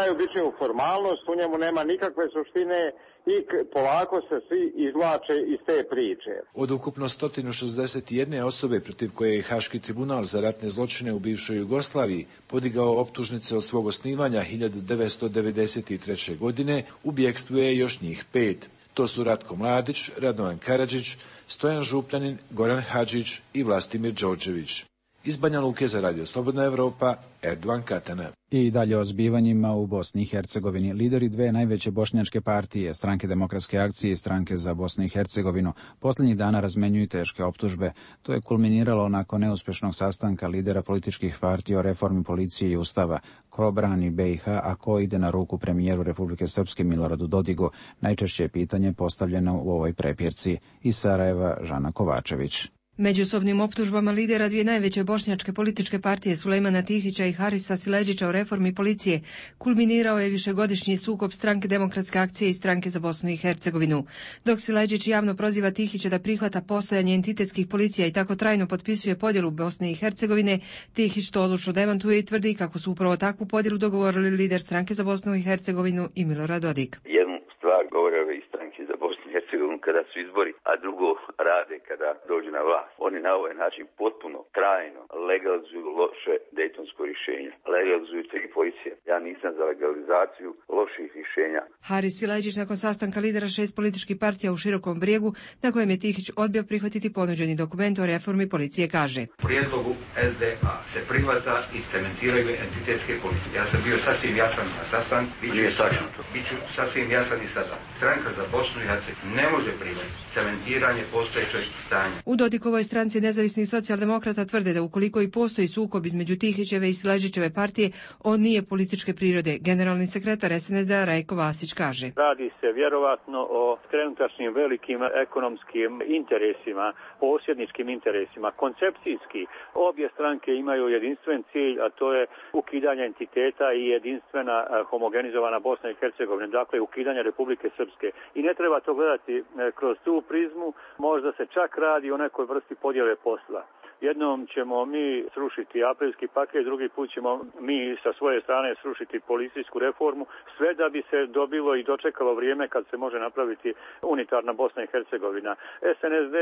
najobičniju formalnost, u njemu nema nikakve suštine i polako se svi izvlače iz te priče. Od ukupno 161 osobe protiv koje je Haški tribunal za ratne zločine u bivšoj Jugoslaviji podigao optužnice od svog osnivanja 1993. godine, u bjegstvu je još njih 5. To su Ratko Mladić, Radovan Karadžić, Stojan Župljanin, Goran Hadžić i Vlastimir Đorđević. Iz Banja Luke za Radio Slobodna Evropa, Erdovan Katana. I dalje o zbivanjima u Bosni i Hercegovini. Lideri 2 najveće bošnjačke partije, Stranke demokratske akcije i Stranke za Bosnu i Hercegovinu, posljednjih dana razmenjuju teške optužbe. To je kulminiralo nakon neuspješnog sastanka lidera političkih partija o reformi policije i ustava. Ko brani BiH, a ko ide na ruku premijeru Republike Srpske Miloradu Dodigu? Najčešće je pitanje postavljeno u ovoj prepirci. Iz Sarajeva, Žana Kovačević. Međusobnim optužbama lidera 2 najveće bošnjačke političke partije Sulejmana Tihića i Harisa Siledžića o reformi policije kulminirao je višegodišnji sukob Stranke demokratske akcije i Stranke za Bosnu i Hercegovinu. Dok Siledžić javno proziva Tihića da prihvata postojanje entitetskih policija i tako trajno potpisuje podjelu Bosne i Hercegovine, Tihić to odlučno demantuje i tvrdi kako su upravo takvu podjelu dogovorili lider Stranke za Bosnu i Hercegovinu i Milorad Dodik. Jednu stvar govore ove iz Stranke za Bosnu i Hercegovinu kada su izbori, a drugo rade kada dođu na vlast. Oni na ovaj način potpuno, trajno legalizuju loše dejtonsko rješenje. Legalizuju te i policije. Ja nisam za legalizaciju loših rješenja. Haris Siledžić nakon sastanka lidera 6 političkih partija u Širokom Brijegu, na kojem je Tihić odbio prihvatiti ponuđeni dokument o reformi policije, kaže: U prijedlogu SDA se prihvata i cementiraju entitetske policije. Ja sam bio sasvim jasan na sastanku. Biću sasvim jasan i sada. Stranka za Bosnu i Hercegovinu ne može prihvatiti. Cementiranje postojećeg stanja. U Dodikovoj stranci nezavisnih socijaldemokrata tvrde da ukoliko i postoji sukob između Tihićeve i Sileđićeve partije, on nije političke prirode. Generalni sekretar SNSD-a Rajko Vasić kaže: Radi se vjerovatno o trenutačnim velikim ekonomskim interesima, posjedničkim interesima. Koncepcijski obje stranke imaju jedinstven cilj, a to je ukidanje entiteta i jedinstvena homogenizovana Bosna i Hercegovina, dakle ukidanje Republike Srpske. I ne treba to gledati kroz tu prizmu, možda se čak radi o nekoj vrsti podjele posla. Jednom ćemo mi srušiti aprilski paket, drugi put ćemo mi sa svoje strane srušiti policijsku reformu, sve da bi se dobilo i dočekalo vrijeme kad se može napraviti unitarna Bosna i Hercegovina. SNSD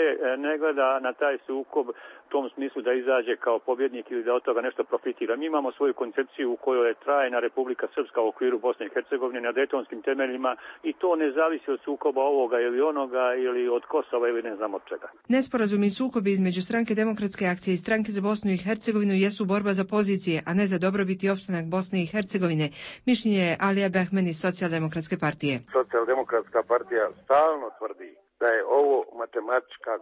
ne gleda na taj sukob u tom smislu da izađe kao pobjednik ili da od toga nešto profitira. Mi imamo svoju koncepciju u kojoj je trajna Republika Srpska u okviru Bosne i Hercegovine na dejtonskim temeljima i to ne zavisi od sukoba ovoga ili onoga ili od Kosova ili ne znam od čega. Nesporazumi i sukobi između stranke Demokratske akcije i stranke za Bosnu i Hercegovinu jesu borba za pozicije, a ne za dobrobit i opstanak Bosne i Hercegovine. Mišljenje je Alija Behmeni iz Socijaldemokratske partije. Socijaldemokratska partija stalno tvrdi da je ovo matematička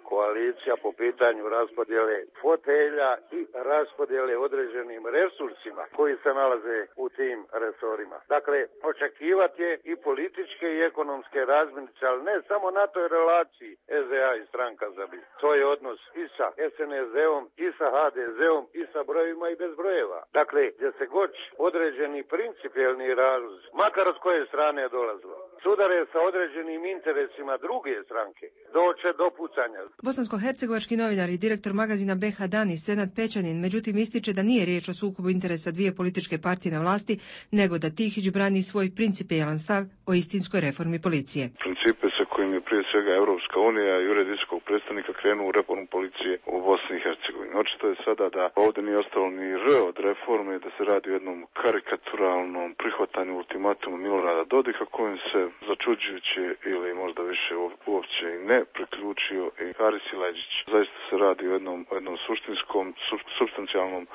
koalicija po pitanju raspodjele fotelja i raspodjele određenim resursima koji se nalaze u tim resorima. Dakle, očekivati je i političke i ekonomske razmirice, ali ne samo na toj relaciji SDA i stranka za BiH. To je odnos i sa SNSD-om, i sa HDZ-om, i sa brojevima i bez brojeva. Dakle, gdje se god određeni principijelni razlozi, makar od koje strane je dolazilo, sudare sa određenim interesima druge stranke, doće do pucanja. Bosansko-hercegovački novinar i direktor magazina BH Dani Senad Pećanin međutim ističe da nije riječ o sukobu interesa dvije političke partije na vlasti, nego da Tihić brani svoj principijelan stav o istinskoj reformi policije. Principe sa kojim je prije svega Europska unija i Ured visokog predstavnika krenuo u reformu policije u Bosni i Hercegovini. Očito je sada da ovdje nije ostalo ni R od reforme, da se radi o jednom karikaturalnom prihvatanju ultimatuma Milorada Dodika kojim se začuđujuće ili možda više uopće i ne priključio i Haris Sileđić. Zaista se radi o jednom suštinskom, supstancijalnom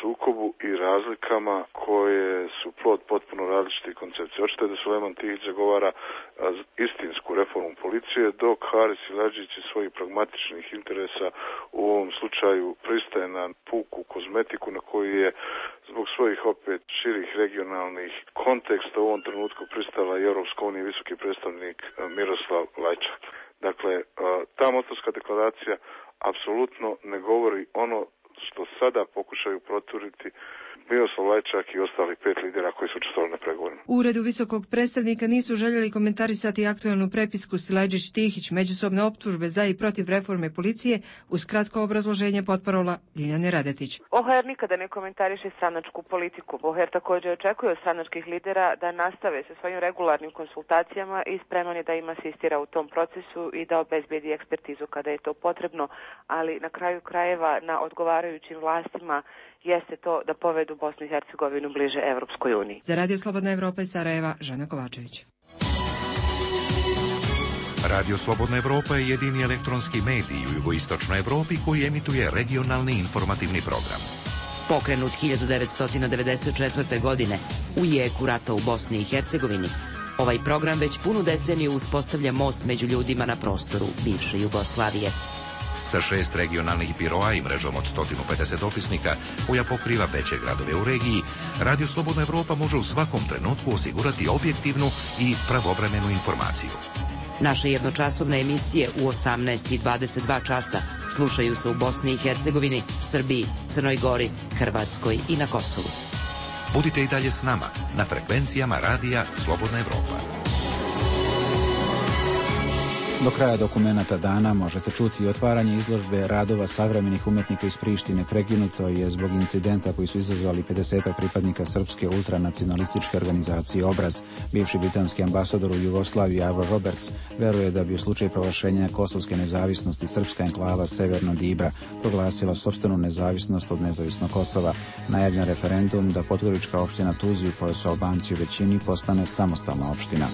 sukobu i razlikama koje su plod potpuno različitih koncepcija. Očito je da Sulejman Tihić zagovara istinsku reformu policije, dok Haris Sileđić iz svojih pragmatičnih interesa u ovom slučaju pristaje na puku kozmetiku na koju je zbog svojih opet širih regionalnih konteksta u ovom trenutku pristala i Europska unija i visoki predstavnik Miroslav Lajčak. Dakle, ta Mostarska deklaracija apsolutno ne govori ono što sada pokušaju proturiti Miroslav Lajčak i ostali 5 lidera koji su učestvovali na pregovorima. U Uredu visokog predstavnika nisu željeli komentarisati aktualnu prepisku Sileđić-Tihić, međusobne optužbe za i protiv reforme policije, uz kratko obrazloženje potparola Ljiljane Radetić. OHR nikada ne komentariše stranačku politiku. OHR također očekuje od stranačkih lidera da nastave sa svojim regularnim konsultacijama i spreman je da im asistira u tom procesu i da obezbedi ekspertizu kada je to potrebno, ali na kraju krajeva na odgovarajućim vlastima jeste to da povedu Bosnu i Hercegovinu bliže Evropskoj uniji. Za Radio Slobodna Evropa iz Sarajeva, Žana Kovačević. Radio Slobodna Evropa je jedini elektronski medij u jugoistočnoj Evropi koji emituje regionalni informativni program. Pokrenut 1994. godine u jeku rata u Bosni i Hercegovini, ovaj program već punu deceniju uspostavlja most među ljudima na prostoru bivše Jugoslavije. Sa 6 regionalnih biroa i mrežom od 150 dopisnika koja pokriva veće gradove u regiji, Radio Slobodna Evropa može u svakom trenutku osigurati objektivnu i pravovremenu informaciju. Naše jednočasovne emisije u 18 i 22 časa slušaju se u Bosni i Hercegovini, Srbiji, Crnoj Gori, Hrvatskoj i na Kosovu. Budite i dalje s nama na frekvencijama Radija Slobodna Evropa. Do kraja dokumenata dana možete čuti otvaranje izložbe radova savremenih umetnika iz Prištine. Prekinuto je zbog incidenta koji su izazvali 50 pripadnika srpske ultranacionalističke organizacije Obraz. Bivši britanski ambasador u Jugoslaviji Avo Roberts veruje da bi u slučaju proglašenja kosovske nezavisnosti srpska enklava Severno Dibra proglasila sopstvenu nezavisnost od nezavisnog Kosova. Najavljen referendum da podgorička opština Tuzli, u kojoj su Albanci u većini, postane samostalna opština.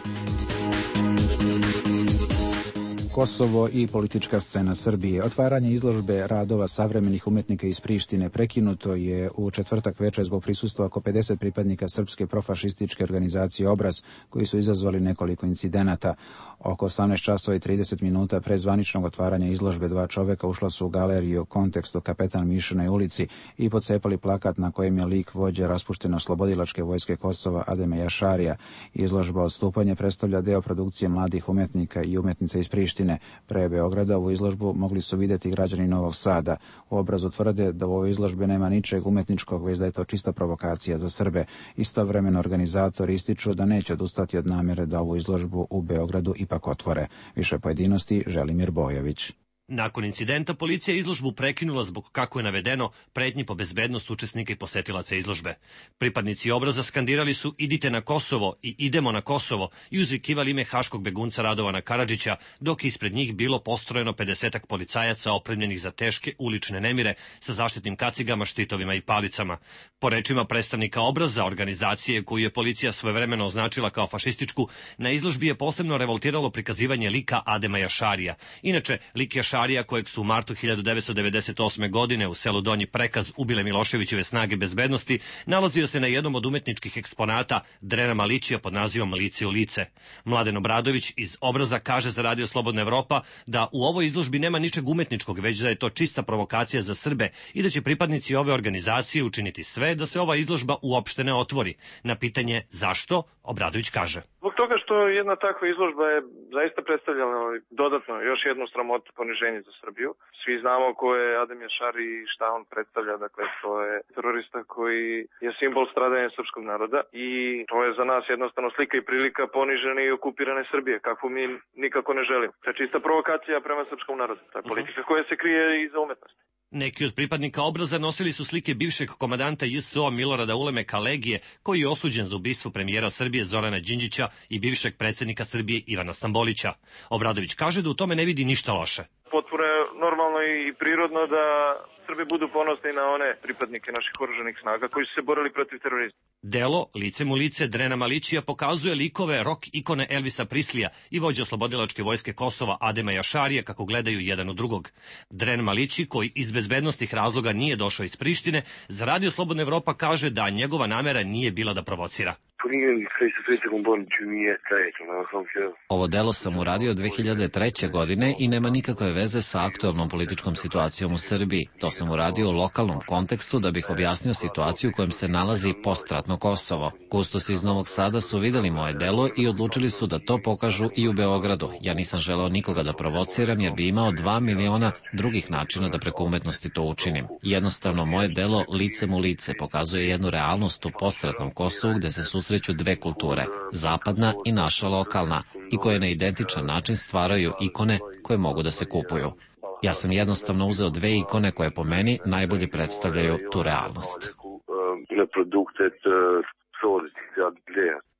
Kosovo i politička scena Srbije. Otvaranje izložbe radova savremenih umjetnika iz Prištine prekinuto je u četvrtak večer zbog prisustva oko 50 pripadnika srpske profašističke organizacije Obraz, koji su izazvali nekoliko incidenata. Oko 18 časova i 30 minuta pre zvaničnog otvaranja izložbe dva čoveka ušla su u galeriju Kontekst u Kapetan Mišinoj ulici i pocepali plakat na kojem je lik vođe raspušteno oslobodilačke vojske Kosova Adema Jašarija. Izložba Odstupanje predstavlja deo produkcije mladih umjetnika i umjetnica iz Prištine. Pre Beograda ovu izložbu mogli su vidjeti građani Novog Sada. U Obrazu tvrde da u ovoj izložbi nema ničeg umjetničkog, već da je to čista provokacija za Srbe. Istovremeno organizatori ističu da neće odustati od namjere da ovu izložbu u Beogradu ipak otvore. Više pojedinosti Želimir Bojović. Nakon incidenta policija je izložbu prekinula zbog, kako je navedeno, pretnji po bezbednost učesnika i posetilaca izložbe. Pripadnici Obraza skandirali su "Idite na Kosovo" i "Idemo na Kosovo" i uzvikivali ime haškog begunca Radovana Karadžića, dok je ispred njih bilo postrojeno 50-ak policajaca opremljenih za teške ulične nemire sa zaštitnim kacigama, štitovima i palicama. Po rečima predstavnika Obraza, organizacije koju je policija svojevremeno označila kao fašističku, na izložbi je posebno revoltiralo prikazivanje lika Adema Jašarija. Inače, lik Jašarija, kojeg su u martu 1998. godine u selu Donji Prekaz ubile Miloševićeve snage bezbednosti, nalazio se na jednom od umetničkih eksponata Drena Malićija pod nazivom Lice u lice. Mladen Obradović iz Obraza kaže za Radio Slobodna Evropa da u ovoj izložbi nema ničeg umetničkog, već da je to čista provokacija za Srbe i da će pripadnici ove organizacije učiniti sve da se ova izložba uopšte ne otvori. Na pitanje zašto, Obradović kaže: Zbog toga što jedna takva izložba je zaista predstavljala dodatno još jednu sramotu, poniženje za Srbiju. Svi znamo ko je Adem Jašari i šta on predstavlja, dakle to je terorista koji je simbol stradanja srpskog naroda i to je za nas jednostavno slika i prilika ponižene i okupirane Srbije, kakvu mi nikako ne želimo. To je čista provokacija prema srpskom narodu, to je politika koja se krije iza umetnosti. Neki od pripadnika Obraza nosili su slike bivšeg komandanta JSO Milorada Ulemeka Legije, koji je osuđen za ubistvo premijera Srbije Zorana Đinđića i bivšeg predsjednika Srbije Ivana Stambolića. Obradović kaže da u tome ne vidi ništa loše. Potpuno je normalno i prirodno da Srbi budu ponosni na one pripadnike naših oružanih snaga koji su se borili protiv terorizma. Delo Licem u lice Drena Malićija pokazuje likove rock ikone Elvisa Prislija i vođe oslobodilačke vojske Kosova Adema Jašarija kako gledaju jedan u drugog. Dren Malići, koji iz bezbednostnih razloga nije došao iz Prištine, za Radio Slobodna Evropa kaže da njegova namera nije bila da provocira. Ovo delo sam uradio 2003. godine i nema nikakve veze sa aktualnom političkom situacijom u Srbiji. To sam uradio u lokalnom kontekstu da bih objasnio situaciju u kojem se nalazi postratno Kosovo. Kustosi iz Novog Sada su videli moje delo i odlučili su da to pokažu i u Beogradu. Ja nisam želeo nikoga da provociram jer bi imao 2 miliona drugih načina da preko umetnosti to učinim. Jednostavno, moje delo Licem u lice pokazuje jednu realnost u postratnom Kosovu gde se susreću dve kulture, zapadna i naša lokalna, i koje na identičan način stvaraju ikone koje mogu da se kupuju. Ja sam jednostavno uzeo dve ikone koje po meni najbolje predstavljaju tu realnost.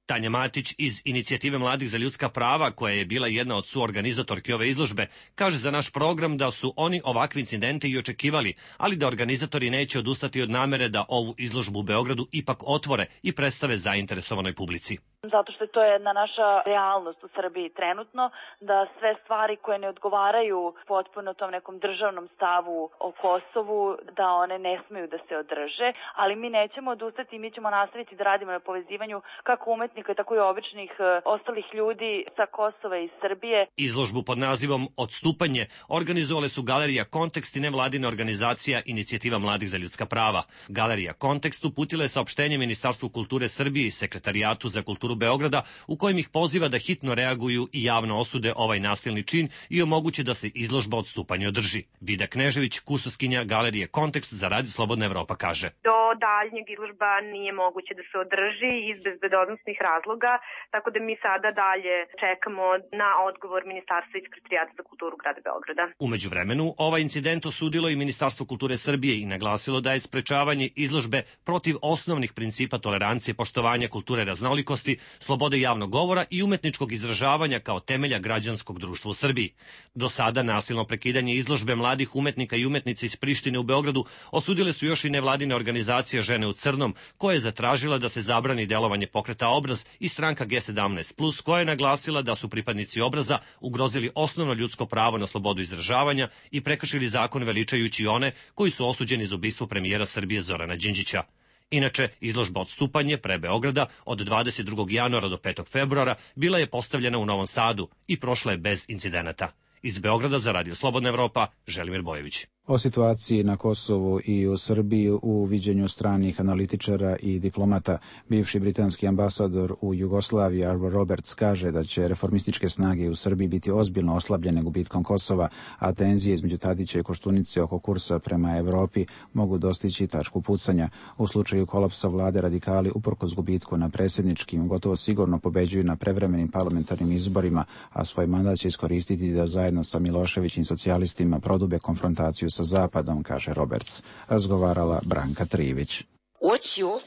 Tanja Matić iz Inicijative mladih za ljudska prava, koja je bila jedna od suorganizatorki ove izložbe, kaže za naš program da su oni ovakve incidente i očekivali, ali da organizatori neće odustati od namere da ovu izložbu u Beogradu ipak otvore i predstave zainteresovanoj publici. Zato što to je jedna naša realnost u Srbiji trenutno, da sve stvari koje ne odgovaraju potpuno tom nekom državnom stavu o Kosovu, da one ne smeju da se održe, ali mi nećemo odustati, mi ćemo nastaviti da radimo na povezivanju kako umetnika, tako i običnih ostalih ljudi sa Kosova i Srbije. Izložbu pod nazivom Odstupanje organizovale su Galerija Kontekst i nevladina organizacija Inicijativa mladih za ljudska prava. Galerija Kontekst uputila je saopštenje Ministarstvu kulture Srbije i Sekretarijatu za kulturu Beograda, u kojem ih poziva da hitno reaguju i javno osude ovaj nasilni čin i omoguće da se izložba Odstupanje održi. Vida Knežević, kustoskinja Galerije Kontekst za Radio Slobodna Evropa, kaže: Do daljnjeg izložba nije moguće da se održi iz bezbednosnih razloga, tako da mi sada dalje čekamo na odgovor Ministarstva i Sekretarijata za kulturu grada Beograda. U međuvremenu, ovaj incident osudilo i Ministarstvo kulture Srbije i naglasilo da je sprečavanje izložbe protiv osnovnih principa tolerancije, poštovanja kulture raznolikosti, slobode javnog govora i umetničkog izražavanja kao temelja građanskog društva u Srbiji. Do sada nasilno prekidanje izložbe mladih umetnika i umetnica iz Prištine u Beogradu osudile su još i nevladine organizacije organizacija Žene u crnom, koja je zatražila da se zabrani delovanje pokreta Obraz, i stranka G17+, koja je naglasila da su pripadnici Obraza ugrozili osnovno ljudsko pravo na slobodu izražavanja i prekršili zakon veličajući one koji su osuđeni za ubistvo premijera Srbije Zorana Đinđića. Inače, izložba Odstupanje pre Beograda od 22. januara do 5. februara bila je postavljena u Novom Sadu i prošla je bez incidenata. Iz Beograda za Radio Slobodna Evropa, Želimir Bojević. O situaciji na Kosovu i u Srbiji u viđenju stranih analitičara i diplomata, bivši britanski ambasador u Jugoslaviji Ivor Roberts kaže da će reformističke snage u Srbiji biti ozbiljno oslabljene gubitkom Kosova, a tenzije između Tadića i Koštunice oko kursa prema Evropi mogu dostići tačku pucanja. U slučaju kolapsa vlade radikali uprkos gubitku na predsjedničkim gotovo sigurno pobeđuju na prevremenim parlamentarnim izborima, a svoj mandat će iskoristiti da zajedno sa Miloševićim socijalistima prodube konfrontaciju sa Zapadom, kaže Roberts. Razgovarala Branka Trivić.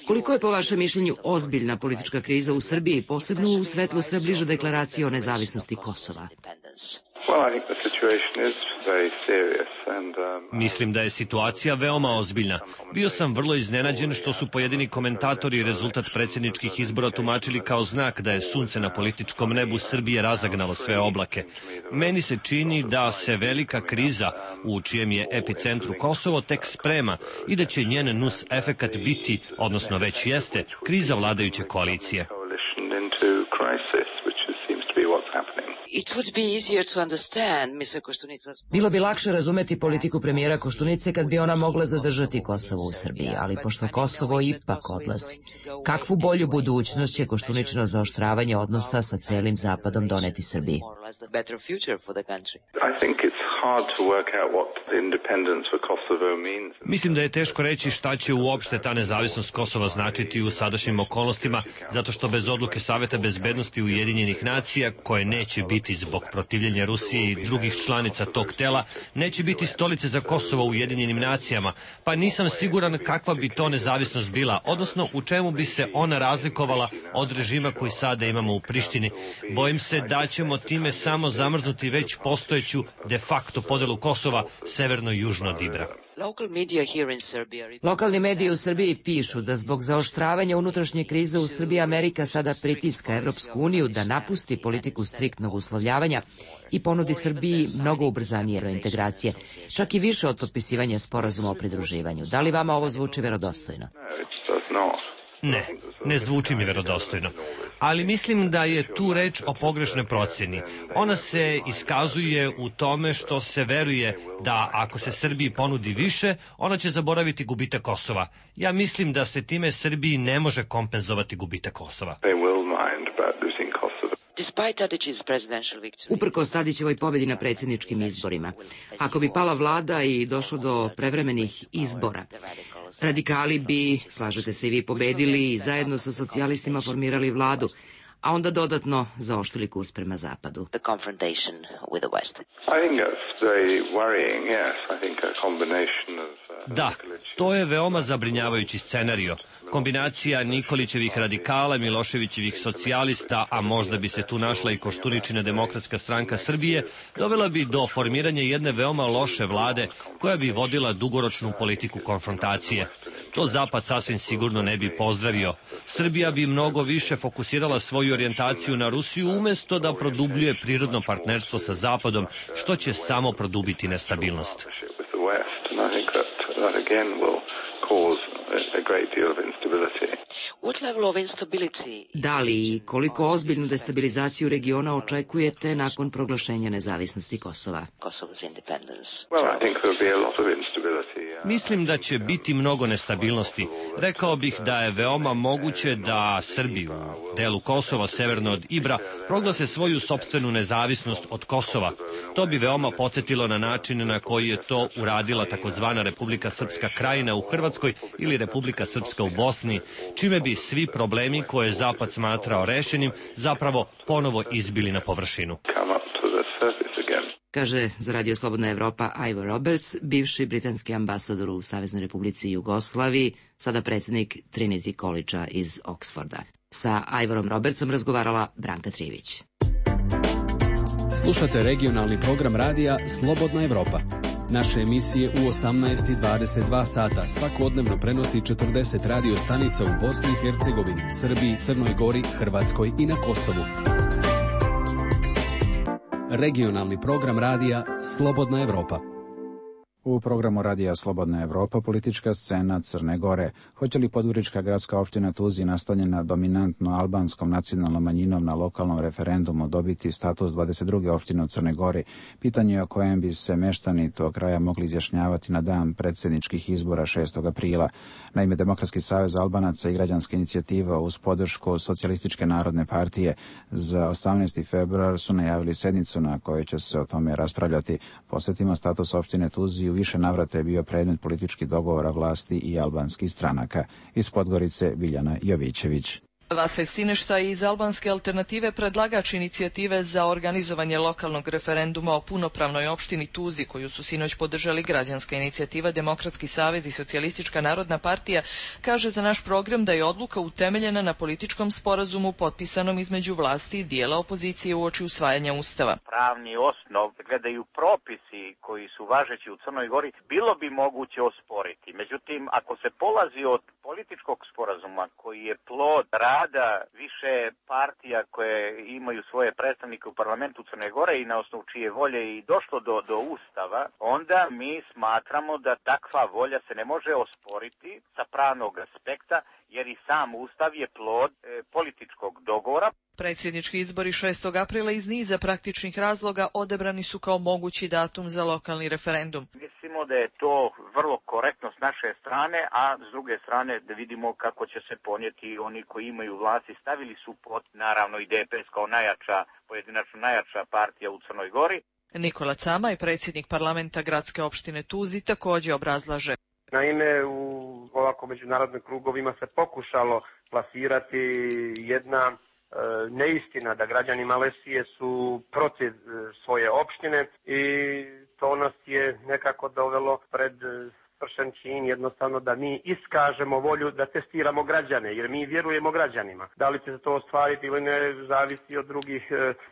Koliko je po vašem mišljenju ozbiljna politička kriza u Srbiji, posebno u svetlu sve bliže deklaracije o nezavisnosti Kosova? Mislim da je situacija veoma ozbiljna. Bio sam vrlo iznenađen što su pojedini komentatori rezultat predsjedničkih izbora tumačili kao znak da je sunce na političkom nebu Srbije razagnalo sve oblake. Meni se čini da se velika kriza, u čijem je epicentru Kosovo, tek sprema i da će njen nus efekat biti, odnosno već jeste, kriza vladajuće koalicije. Bilo bi lakše razumeti politiku premijera Koštunice kad bi ona mogla zadržati Kosovo u Srbiji, ali pošto Kosovo ipak odlazi, kakvu bolju budućnost će Koštuničino zaoštravanje odnosa sa celim Zapadom doneti Srbiji? Mislim da je teško reći šta će uopšte ta nezavisnost Kosova značiti u sadašnjim okolnostima, zato što bez odluke Saveta bezbednosti Ujedinjenih nacija, koje neće biti zbog protivljenja Rusije i drugih članica tog tela, neće biti stolice za Kosovo u Ujedinjenim nacijama, pa nisam siguran kakva bi to nezavisnost bila, odnosno u čemu bi se ona razlikovala od režima koji sada imamo u Prištini. Bojim se da ćemo time samo zamrznuti već postojeću de facto podelu Kosova severno i južno od Ibra. Lokalni mediji u Srbiji pišu da zbog zaoštravanja unutrašnje krize u Srbiji Amerika sada pritiska Evropsku uniju da napusti politiku striktnog uslovljavanja i ponudi Srbiji mnogo ubrzanije reintegracije, čak i više od potpisivanja sporazuma o pridruživanju. Da li vama ovo zvuči verodostojno? Ne zvuči mi verodostojno, ali mislim da je tu reč o pogrešnoj procjeni. Ona se iskazuje u tome što se veruje da ako se Srbiji ponudi više, ona će zaboraviti gubitak Kosova. Ja mislim da se time Srbiji ne može kompenzovati gubitak Kosova. Uprkos Tadićevoj pobjedi na predsjedničkim izborima, ako bi pala vlada i došlo do prevremenih izbora, radikali bi, slažete se i vi, pobedili i zajedno sa socijalistima formirali vladu, a onda dodatno zaoštrili kurs prema Zapadu. Da, to je veoma zabrinjavajući scenario. Kombinacija Nikolićevih radikala, Miloševićevih socijalista, a možda bi se tu našla i Koštuničina Demokratska stranka Srbije, dovela bi do formiranja jedne veoma loše vlade koja bi vodila dugoročnu politiku konfrontacije. To Zapad sasvim sigurno ne bi pozdravio. Srbija bi mnogo više fokusirala svoju orijentaciju na Rusiju umjesto da produbljuje prirodno partnerstvo sa Zapadom, što će samo produbiti nestabilnost. Da li i koliko ozbiljnu destabilizaciju regiona očekujete nakon proglašenja nezavisnosti Kosova? Mislim da će biti mnogo nestabilnosti. Rekao bih da je veoma moguće da Srbi u delu Kosova severno od Ibra proglase svoju sopstvenu nezavisnost od Kosova. To bi veoma podsjetilo na način na koji je to uradila takozvana Republika Srpska Krajina u Hrvatskoj ili Republika Srpska u Bosni, čime bi svi problemi koje je Zapad smatrao rešenim zapravo ponovo izbili na površinu. Kaže za Radio Slobodna Evropa Ivor Roberts, bivši britanski ambasador u Saveznoj Republici Jugoslaviji, sada predsjednik Trinity College-a iz Oxforda. Sa Ivorom Robertsom razgovarala Branka Trivić. Slušate regionalni program radija Slobodna Evropa. Naše emisije u 18:22 sata svakodnevno prenosi 40 radio stanica u Bosni i Hercegovini, Srbiji, Crnoj Gori, Hrvatskoj i na Kosovu. Regionalni program radija Slobodna Evropa. U programu radija Slobodna Evropa politička scena Crne Gore. Hoće li Podgorička gradska opština Tuzi, nastanjena dominantno albanskom nacionalnom manjinom, na lokalnom referendumu dobiti status 22. opštine u Crne Gori? Pitanje o kojem bi se meštani tog kraja mogli izjašnjavati na dan predsjedničkih izbora 6. aprila. Naime, Demokratski savez Albanaca i građanska inicijativa uz podršku Socijalističke narodne partije za 18. februar su najavili sednicu na kojoj će se o tome raspravljati. Posjetimo, status opštine Tuzi u više navrata je bio predmet političkih dogovora vlasti i albanskih stranaka. Iz Podgorice Biljana Jovićević. Vasaj Sineštaj iz Albanske alternative, predlagač inicijative za organizovanje lokalnog referenduma o punopravnoj opštini Tuzi, koju su sinoć podržali građanska inicijativa, Demokratski savez i Socijalistička narodna partija, kaže za naš program da je odluka utemeljena na političkom sporazumu potpisanom između vlasti i dijela opozicije uoči usvajanja Ustava. Pravni osnov, gledaju propisi koji su važeći u Crnoj Gori, bilo bi moguće osporiti. Međutim, ako se polazi od političkog sporazuma koji je plod rada više partija koje imaju svoje predstavnike u parlamentu Crne Gore i na osnovu čije volje i došlo do Ustava, onda mi smatramo da takva volja se ne može osporiti sa pravnog aspekta, jer i sam Ustav je plod političkog dogovora. Predsjednički izbori 6. aprila iz niza praktičnih razloga odabrani su kao mogući datum za lokalni referendum. Mislimo da je to vrlo korektno s naše strane, a s druge strane da vidimo kako će se ponijeti oni koji imaju vlast i stavili su pod, naravno i DPS kao pojedinačno najjača partija u Crnoj Gori. Nikola Camaj, predsjednik parlamenta gradske opštine Tuzi, također obrazlaže. Naime, u ovako međunarodnim krugovima se pokušalo plasirati jedna neistina da građani Malezije su protiv svoje opštine i to nas je nekako dovelo pred svršen čin, jednostavno da mi iskažemo volju da testiramo građane, jer mi vjerujemo građanima. Da li će se to ostvariti ili ne, zavisi od drugih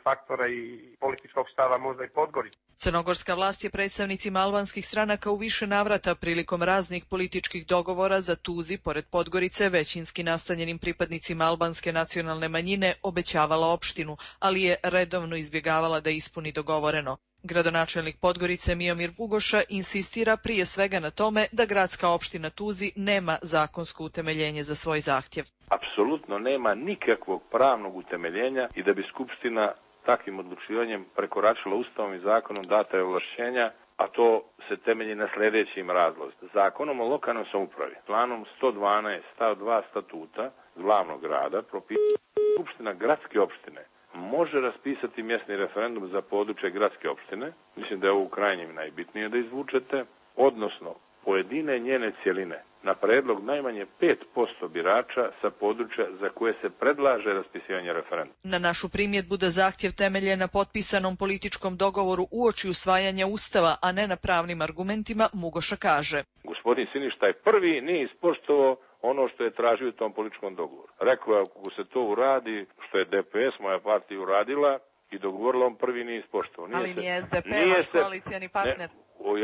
faktora i političkog stava, možda i Podgorice. Crnogorska vlast je predstavnicima albanskih stranaka u više navrata prilikom raznih političkih dogovora za Tuzi, pored Podgorice, većinski nastanjenim pripadnicima albanske nacionalne manjine obećavala opštinu, ali je redovno izbjegavala da ispuni dogovoreno. Gradonačelnik Podgorice Miomir Vugoša insistira prije svega na tome da gradska opština Tuzi nema zakonsko utemeljenje za svoj zahtjev. Apsolutno nema nikakvog pravnog utemeljenja i da bi Skupština takvim odlučivanjem prekoračila Ustavom i zakonom data je ovlašćenja, a to se temelji na sljedećim razlozima. Zakonom o lokalnoj samoupravi, planom 112 stav 2 statuta glavnog grada, propisuje Skupština gradske opštine može raspisati mjesni referendum za područje gradske opštine, mislim da je ovo u krajnjem najbitnije da izvučete, odnosno pojedine njene cjeline, na predlog najmanje 5% birača sa područja za koje se predlaže raspisivanje referenduma. Na našu primjedbu da zahtjev temelje na potpisanom političkom dogovoru uoči usvajanja Ustava, a ne na pravnim argumentima, Mugoša kaže. Gospodin Siništaj prvi nije ispoštovao ono što je tražio u tom političkom dogovoru. Rekao je, ako se to uradi, što je DPS, moja partija, uradila i dogovorila, on prvi nije ispoštovao. Ali nije SDP vaš koalicijani partner.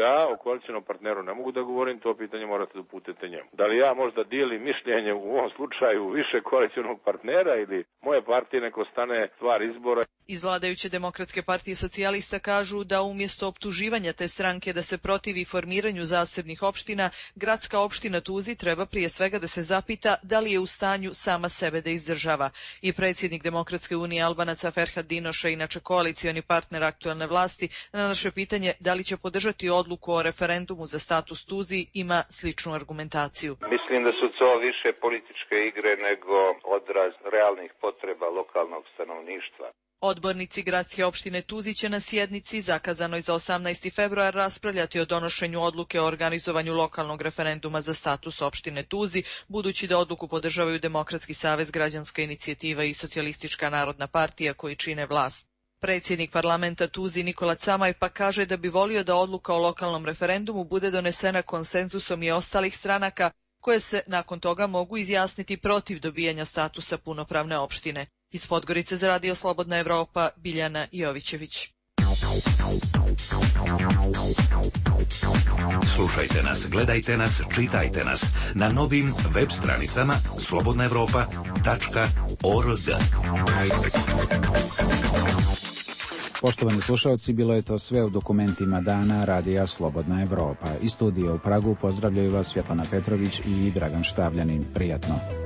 Ja o koalicijnom partneru ne mogu da govorim, to pitanje morate da uputite njemu. Da li ja možda dijelim mišljenje u ovom slučaju više koalicijnog partnera ili moje partije, neko stane stvar izbora. Iz vladajuće Demokratske partije socijalista kažu da umjesto optuživanja te stranke da se protivi formiranju zasebnih opština, gradska opština Tuzi treba prije svega da se zapita da li je u stanju sama sebe da izdržava. I predsjednik Demokratske unije Albanaca Ferhat Dinoša, inače koalicioni partner aktuelne vlasti, na naše pitanje da li će podržati odluku o referendumu za status Tuzi, ima sličnu argumentaciju. Mislim da su to više političke igre nego odraz realnih potreba lokalnog stanovništva. Odbornici gradske opštine Tuzi će na sjednici zakazanoj za 18. februar raspravljati o donošenju odluke o organizovanju lokalnog referenduma za status opštine Tuzi, budući da odluku podržavaju Demokratski savez, građanska inicijativa i Socijalistička narodna partija koji čine vlast. Predsjednik parlamenta Tuzi Nikola Camaj pa kaže da bi volio da odluka o lokalnom referendumu bude donesena konsenzusom i ostalih stranaka, koje se nakon toga mogu izjasniti protiv dobijanja statusa punopravne opštine. Iz Podgorice za Radio Slobodna Evropa, Biljana Jovićević. Slušajte nas, gledajte nas, čitajte nas na novim web stranicama slobodnaevropa.org. Poštovani slušalci, bilo je to sve u dokumentima dana Radija Slobodna Evropa. Iz studija u Pragu pozdravljaju vas Svjetlana Petrović i Dragan Štavljanin. Prijatno.